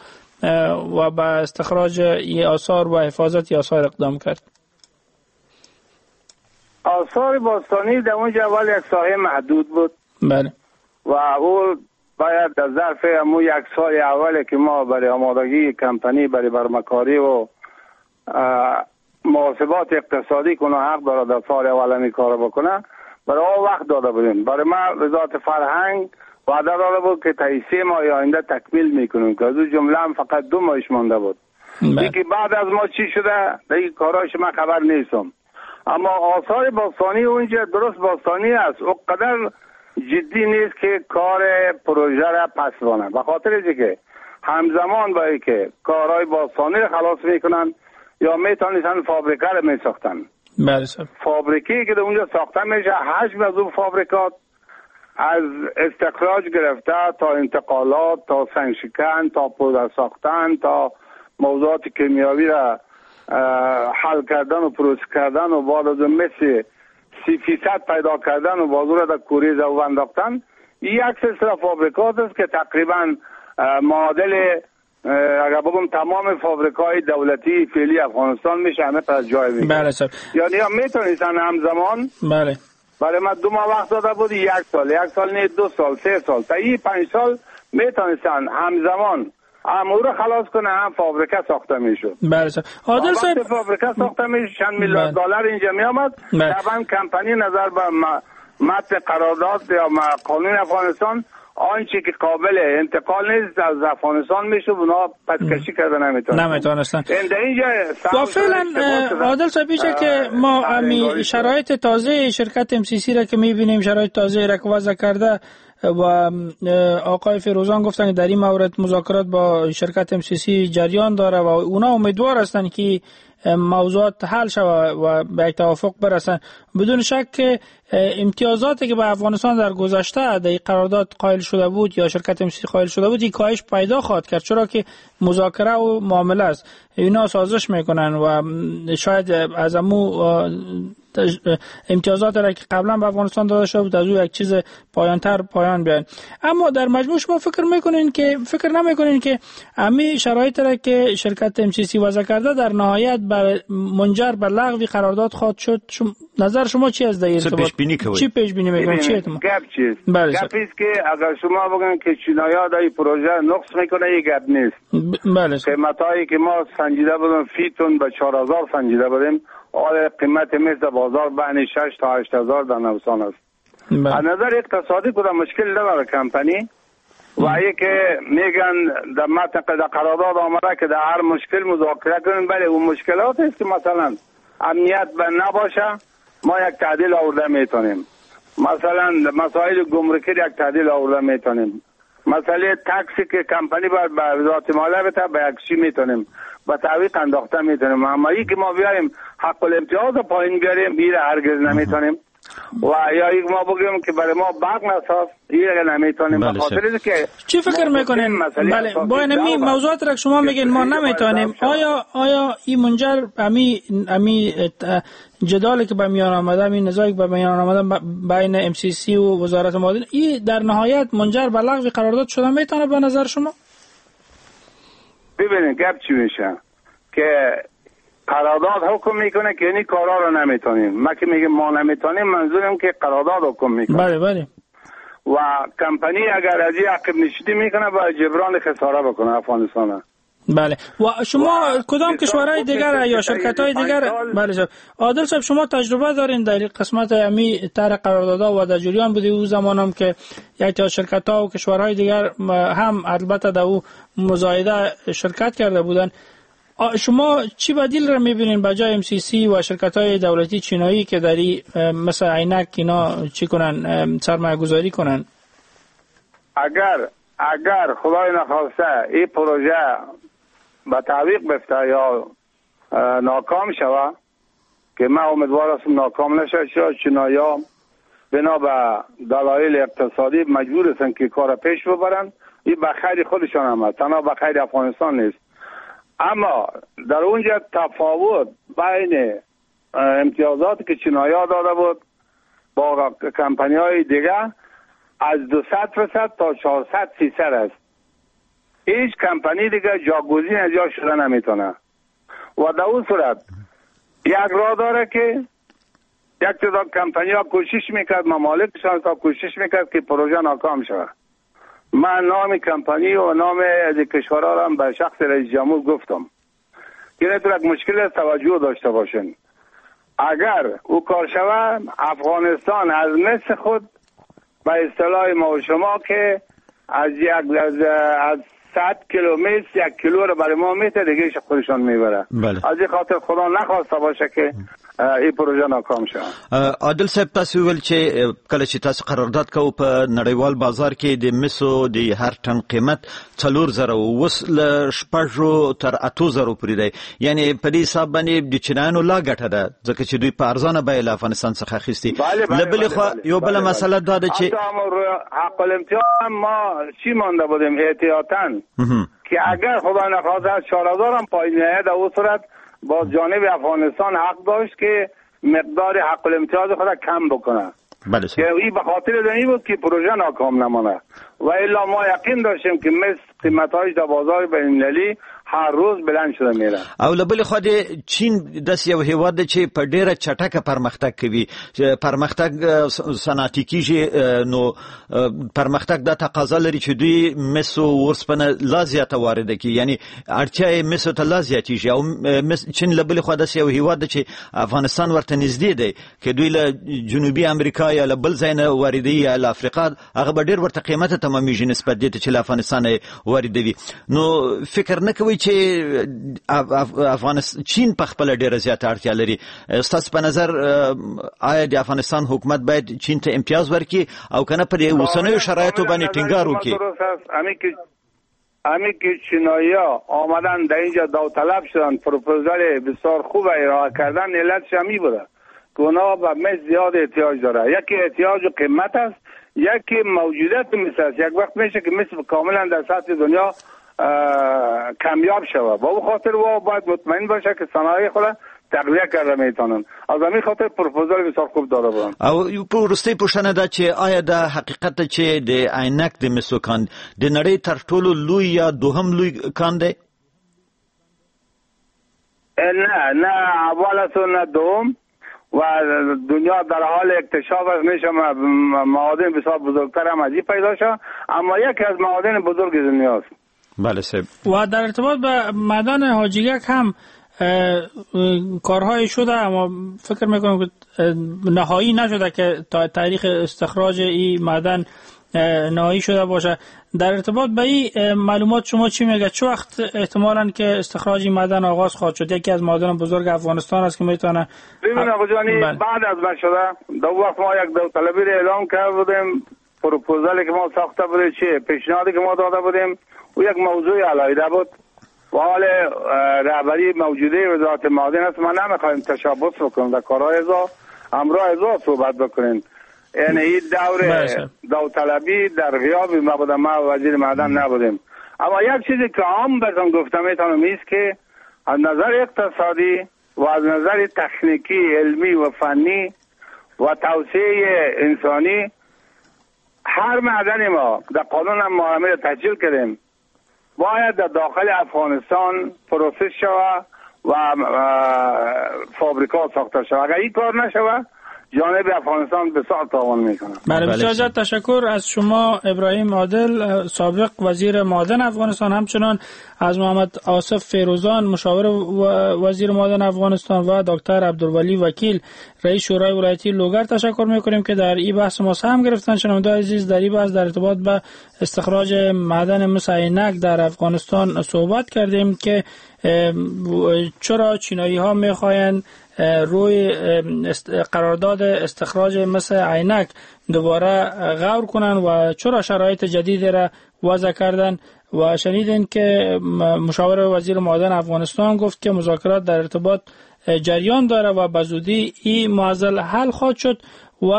به استخراج این آثار و حفاظت این آثار اقدام کرد؟ آثار باستانی در اونجا اول یک ساحه محدود بود. بله. و او باید در ظرف امو یک سال اولی که ما برای آمادگی کمپانی برای برمکاری و محاسبات اقتصادی کنه حق داره در سال اول می کار بکنه، برای او وقت داده بودیم. برای ما وزارت فرهنگ وعده داده بود که تا 3 ماه آینده تکمیل میکنیم که از اون جمله هم فقط 2 ماهش مانده بود. یکی بعد از ما چی شده دیگه کاراش من خبر نیستم. اما آثار باستانی اونجا درست باستانی است، اونقدر جدی نیست که کار پروژه را پس بانه، به خاطر اینکه همزمان با اینکه کارهای باستانی را خلاص میکنن یا میتونستن فابریکه را میساختن. بله. فابریکی که در اونجا ساخته میشه حجم از اون فابریکات از استخراج گرفته تا انتقالات تا سنگشکن تا پودر ساختن تا موضوعات کیمیاوی را حل کردن و پروسس کردن و بعد از مثل 30% پیدا کردن و بازور را در کوریز او انداختن، یک سلسله فابریکات است که تقریبا معادل اگر بگم تمام فابریکای دولتی فعلی افغانستان میشه همه پس جای میشه. بله صاحب. یعنی هم میتونستن همزمان. بله. برای ما 2 ماه وقت داده بود، 1 سال، 1 سال نه 2 سال، 3 سال، تا این 5 سال میتونستن همزمان هم او رو خلاص کنه هم فابریکه ساخته میشد. بله صاحب. عادل صاحب فابریکه ساخته میشد چند میلیارد دلار اینجا میآمد. طبعا کمپانی نظر به متن قرارداد یا قانون افغانستان آنچه که قابل انتقال نیست از افغانستان میشه اونا پسکشی کرده نمیتونستن. و فعلا عادل صاحب که ما امی شرایط تازه شرکت MCC را که میبینیم، شرایط تازه را که وضع کرده و آقای فیروزان گفتن که در این مورد مذاکرات با شرکت MCC جریان داره و اونا امیدوار هستند که موضوعات حل شود و به یک توافق برسن. بدون شک که امتیازاتی که به افغانستان در گذشته در قرارداد قائل شده بود یا شرکت MCC قائل شده بود، این کاهش پیدا خواهد کرد، چرا که مذاکره و معامله است، اینا سازش میکنن و شاید از امو امتیازات را که قبلا به افغانستان داده شده بود از او یک چیز پایانتر پایان بیان. اما در مجموع شما فکر نمیکنین که امی شرایط را که شرکت MCC وضع کرده در نهایت بر منجر به لغو قرارداد خواهد شد؟ نظر شما چی از در ارتباط؟ چی پیش بینی میکنید؟ چی گپ چیست؟ گپ است که اگر شما بگن که چینایا در این پروژه نقص میکنه، این گپ نیست. بله. قیمتایی که ما سنجیده بودیم فیتون به 4000 سنجیده بودیم، آیا قیمت مس در بازار بین 6 تا 8 هزار در نوسان است. از نظر اقتصادی کدام مشکل نداره کمپانی و که میگن در متن قرارداد آمده که در هر مشکل مذاکره کنیم. بله اون مشکلات است که مثلا امنیت به نباشه ما یک تعدیل آورده میتونیم، مثلا مسائل گمرکی یک تعدیل آورده میتونیم، مسئله tax ی که کمپانی باید به وزارت مالیه بده به یک چی میتونیم با تعویق انداخته میتونیم. اما ای که ما بیاریم حق الامتیاز پایین بیاریم ایره هرگز نمیتونیم و یا یک ما بگیم که برای ما برق نساز ایره نمیتونیم. به خاطر که چی فکر میکنین؟ بله با این موضوعات را شما میگین ما نمیتونیم، آیا این منجر امی جدالی که به میان آمده، این نزاعی که به میان آمده بین MCC و وزارت معادن، این در نهایت منجر به لغو قرارداد شده میتونه به نظر شما؟ ببینید گپ چی میشه که قرارداد حکم میکنه که این کارا رو نمیتونیم. ما که میگیم ما نمیتونیم منظورم که قرارداد حکم میکنه. بله بله. و کمپانی اگر از این عقب نشینی میکنه باید جبران خساره بکنه افغانستان. بله. و شما کدام کشورهای دیگر یا شرکت‌های دیگر؟ بله صاحب. عادل صاحب شما تجربه دارین در قسمت امی طرح قراردادها و در جریان بودی او زمان هم که یک تا شرکت‌ها و کشورهای دیگر هم البته در او مزایده شرکت کرده بودن. شما چی بدیل را می‌بینین به جای MCC و شرکت‌های دولتی چینایی که در مثل عینک اینا چی کنن، سرمایه گذاری کنن؟ اگر خدای نخواسته این پروژه به تعویق بفته یا ناکام شوه، که من امیدوار هستم ناکام نشه، چرا چینایا بنا به دلایل اقتصادی مجبور هستند که کار پیش ببرند. این به خیر خودشان هم است، تنها به خیر افغانستان نیست. اما در اونجا تفاوت بین امتیازات که چینایا داده بود با کمپانی های دیگه از 200% تا 400% است. هیچ کمپانی دیگه جاگزین از جا شده نمیتونه و در اون صورت یک راه داره که یک تعداد کمپانی ها کوشش میکرد، ممالکشان تا کوشش میکرد که پروژه ناکام شود. من نام کمپانی و نام از کشورها را هم به شخص رئیس جمهور گفتم که یک مشکل توجه داشته باشین. اگر او کار شود، افغانستان از مس خود به اصطلاح ما و شما که از 100 کیلو مس 1 کیلو رو برای ما میته، دیگه خودشان میبره. بله. از این خاطر خدا نخواسته باشه که این پروژه ناکام شود. عادل صاحب، تاسو ویل چې کله چې تاسو قرارداد کوو په نړیوال بازار کې د مسو د هر ټن قیمت 4000 اوس له 6 تر 8000 پورې دی، یعنی په دې حساب باندې د چینایانو لا ګټه ده، ځکه چې دوی په ارزانه بیه له افغانستان څخه اخیستي. له بلې خوا یو بله مسله دا ده چې حق الامتیاز ما چی مانده بودیم احتیاطاً که اگر خدا نخواسته از 4000 هم پایین نیاید، در اون صورت با جانب افغانستان حق داشت که مقدار حق الامتیاز خود کم بکنه. بله. که این به خاطر این بود که پروژه ناکام نمانه و الا ما یقین داشتیم که مس قیمت‌هایش در بازار بین‌المللی هر روز بلند شده میره. او له بلې خوا د چین داسې یو هیواد دی چې په ډیره چټکه پرمختګ کوي، پرمختګ صنعتي کیږي، نو پرمختګ دا تقاضا لري چې دوی مس او ورسپنه لا زیاته وارده کړي، یعنی اړتیا یې مسو ته لا زیاتیږي. او چین له بلې خوا داسې یو هیواد دی چې افغانستان ورته نږدې دی، که دوی له جنوبي امریکا یا له بل ځای نه واردوي یا له افریقا، هغه به ډېر ورته قیمته تمامیږي نسبت دې ته چې له افغانستانه یې واردوي. نو فکر نه کوئ چې افغانستان چین په خپل ډیره زیاته اړتیا لري؟ ستاسو په نظر آیا د افغانستان حکومت باید چین ته امتیاز ورکړي او کنه پر اوسنیو شرایطو باندې ټینګار وکړي؟ امی که چینایی‌ها آمدن در اینجا داوطلب شدن، پروپوزال بسیار خوب ارائه کردن، علتش همی بوده که اونا به مس زیاد احتیاج داره. یکی احتیاج و قیمت است، یکی موجودیت مس است. یک وقت میشه که مس کاملا در سطح دنیا کمیاب شود. با او خاطر و باید مطمئن باشه که صنایع خود تقویه کرده میتونن. از همین خاطر پروپوزال بسیار خوب داده بودن. او یو وروستۍ پوښتنه ده چې آیا دا حقیقت ده چې د عینک د مسو کان د نړۍ تر ټولو لوی یا دوهم لوی کان دی؟ نه نه، اول است نه دوم، و دنیا در حال اکتشاف است. میشه معادن بسیار بزرگتر هم از این پیدا شد، اما یکی از معادن بزرگ دنیا است. بله صاحب. و در ارتباط به معدن حاجیگک هم کارهای شده، اما فکر میکنم که نهایی نشده که تا تاریخ استخراج این معدن نهایی شده باشه. در ارتباط به این معلومات شما چی میگه؟ چه وقت احتمالاً که استخراج این معدن آغاز خواهد شد؟ یکی از معادن بزرگ افغانستان است که میتونه. ببین آقا جانی، بعد از من شده دو وقت ما یک داوطلبی را اعلام کرده بودیم، پروپوزالی که ما ساخته بودیم، چه پیشنهادی که ما داده بودیم، او یک موضوع علیحده بود و حال رهبری موجوده وزارت معادن است. ما نمیخوایم تشابه بکنیم در کارهای ازا، همراه ازا صحبت بکنیم. یعنی این دور داوطلبی در غیاب ما بودم، ما وزیر معدن نبودیم. اما یک چیزی که عام براتون گفتم میتونم ایست که از نظر اقتصادی و از نظر تکنیکی، علمی و فنی و توسعه انسانی، هر معدن ما در قانون هم ما همه تسجیل کردیم باید در داخل افغانستان process شود و فابریکا ساخته شود. اگر این کار نشود جانب افغانستان بسیار تاوان میکنه. بله، بسیار تشکر از شما ابراهیم عادل، سابق وزیر معادن افغانستان، همچنان از محمد آصف فیروزان، مشاور وزیر معادن افغانستان، و دکتر عبدالولی وکیل، رئیس شورای ولایتی لوگر تشکر میکنیم که در این بحث ما سهم گرفتن. شنوندگان عزیز، در این بحث در ارتباط به استخراج معدن مس عینک در افغانستان صحبت کردیم که چرا چینایی ها میخواهند روی قرارداد استخراج مس عینک دوباره غور کنند و چرا شرایط جدید را وضع کردن و شنیدین که مشاور وزیر معادن افغانستان گفت که مذاکرات در ارتباط جریان داره و به زودی این معضل حل خواهد شد و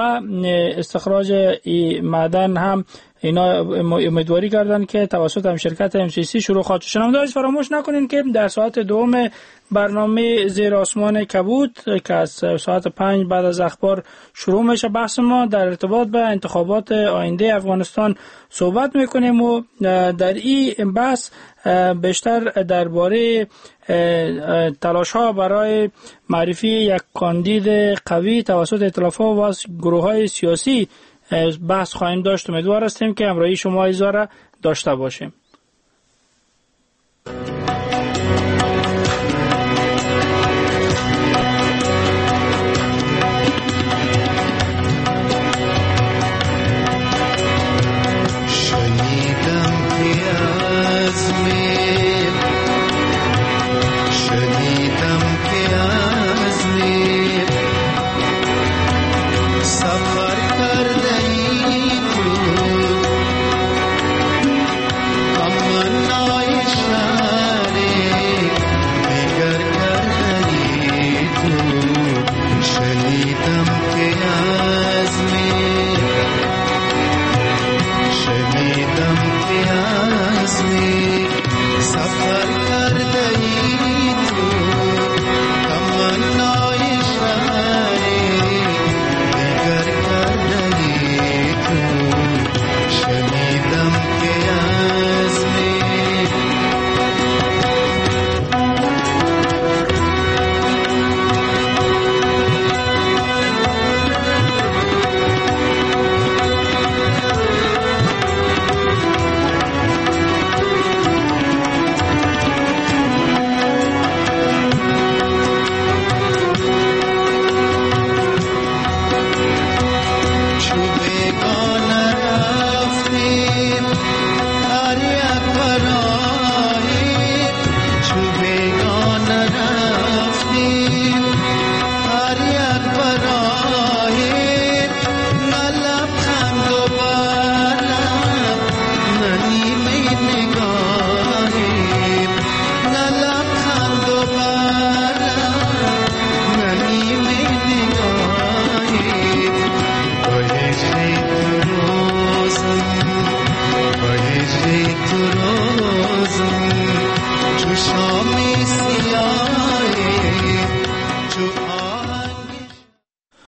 استخراج این معدن هم اینا امیدواری کردن که توسط هم شرکت MCC شروع خواهد شد. شنوندگان فراموش نکنین که در ساعت دوم برنامه زیر آسمان کبود که از ساعت 5 بعد از اخبار شروع میشه بحث ما در ارتباط به انتخابات آینده افغانستان صحبت میکنیم و در این بحث بیشتر درباره تلاش ها برای معرفی یک کاندید قوی توسط ائتلاف ها و گروه های سیاسی بحث خواهیم داشت. امیدوار هستیم که همراهی شما عزیزان را داشته باشیم.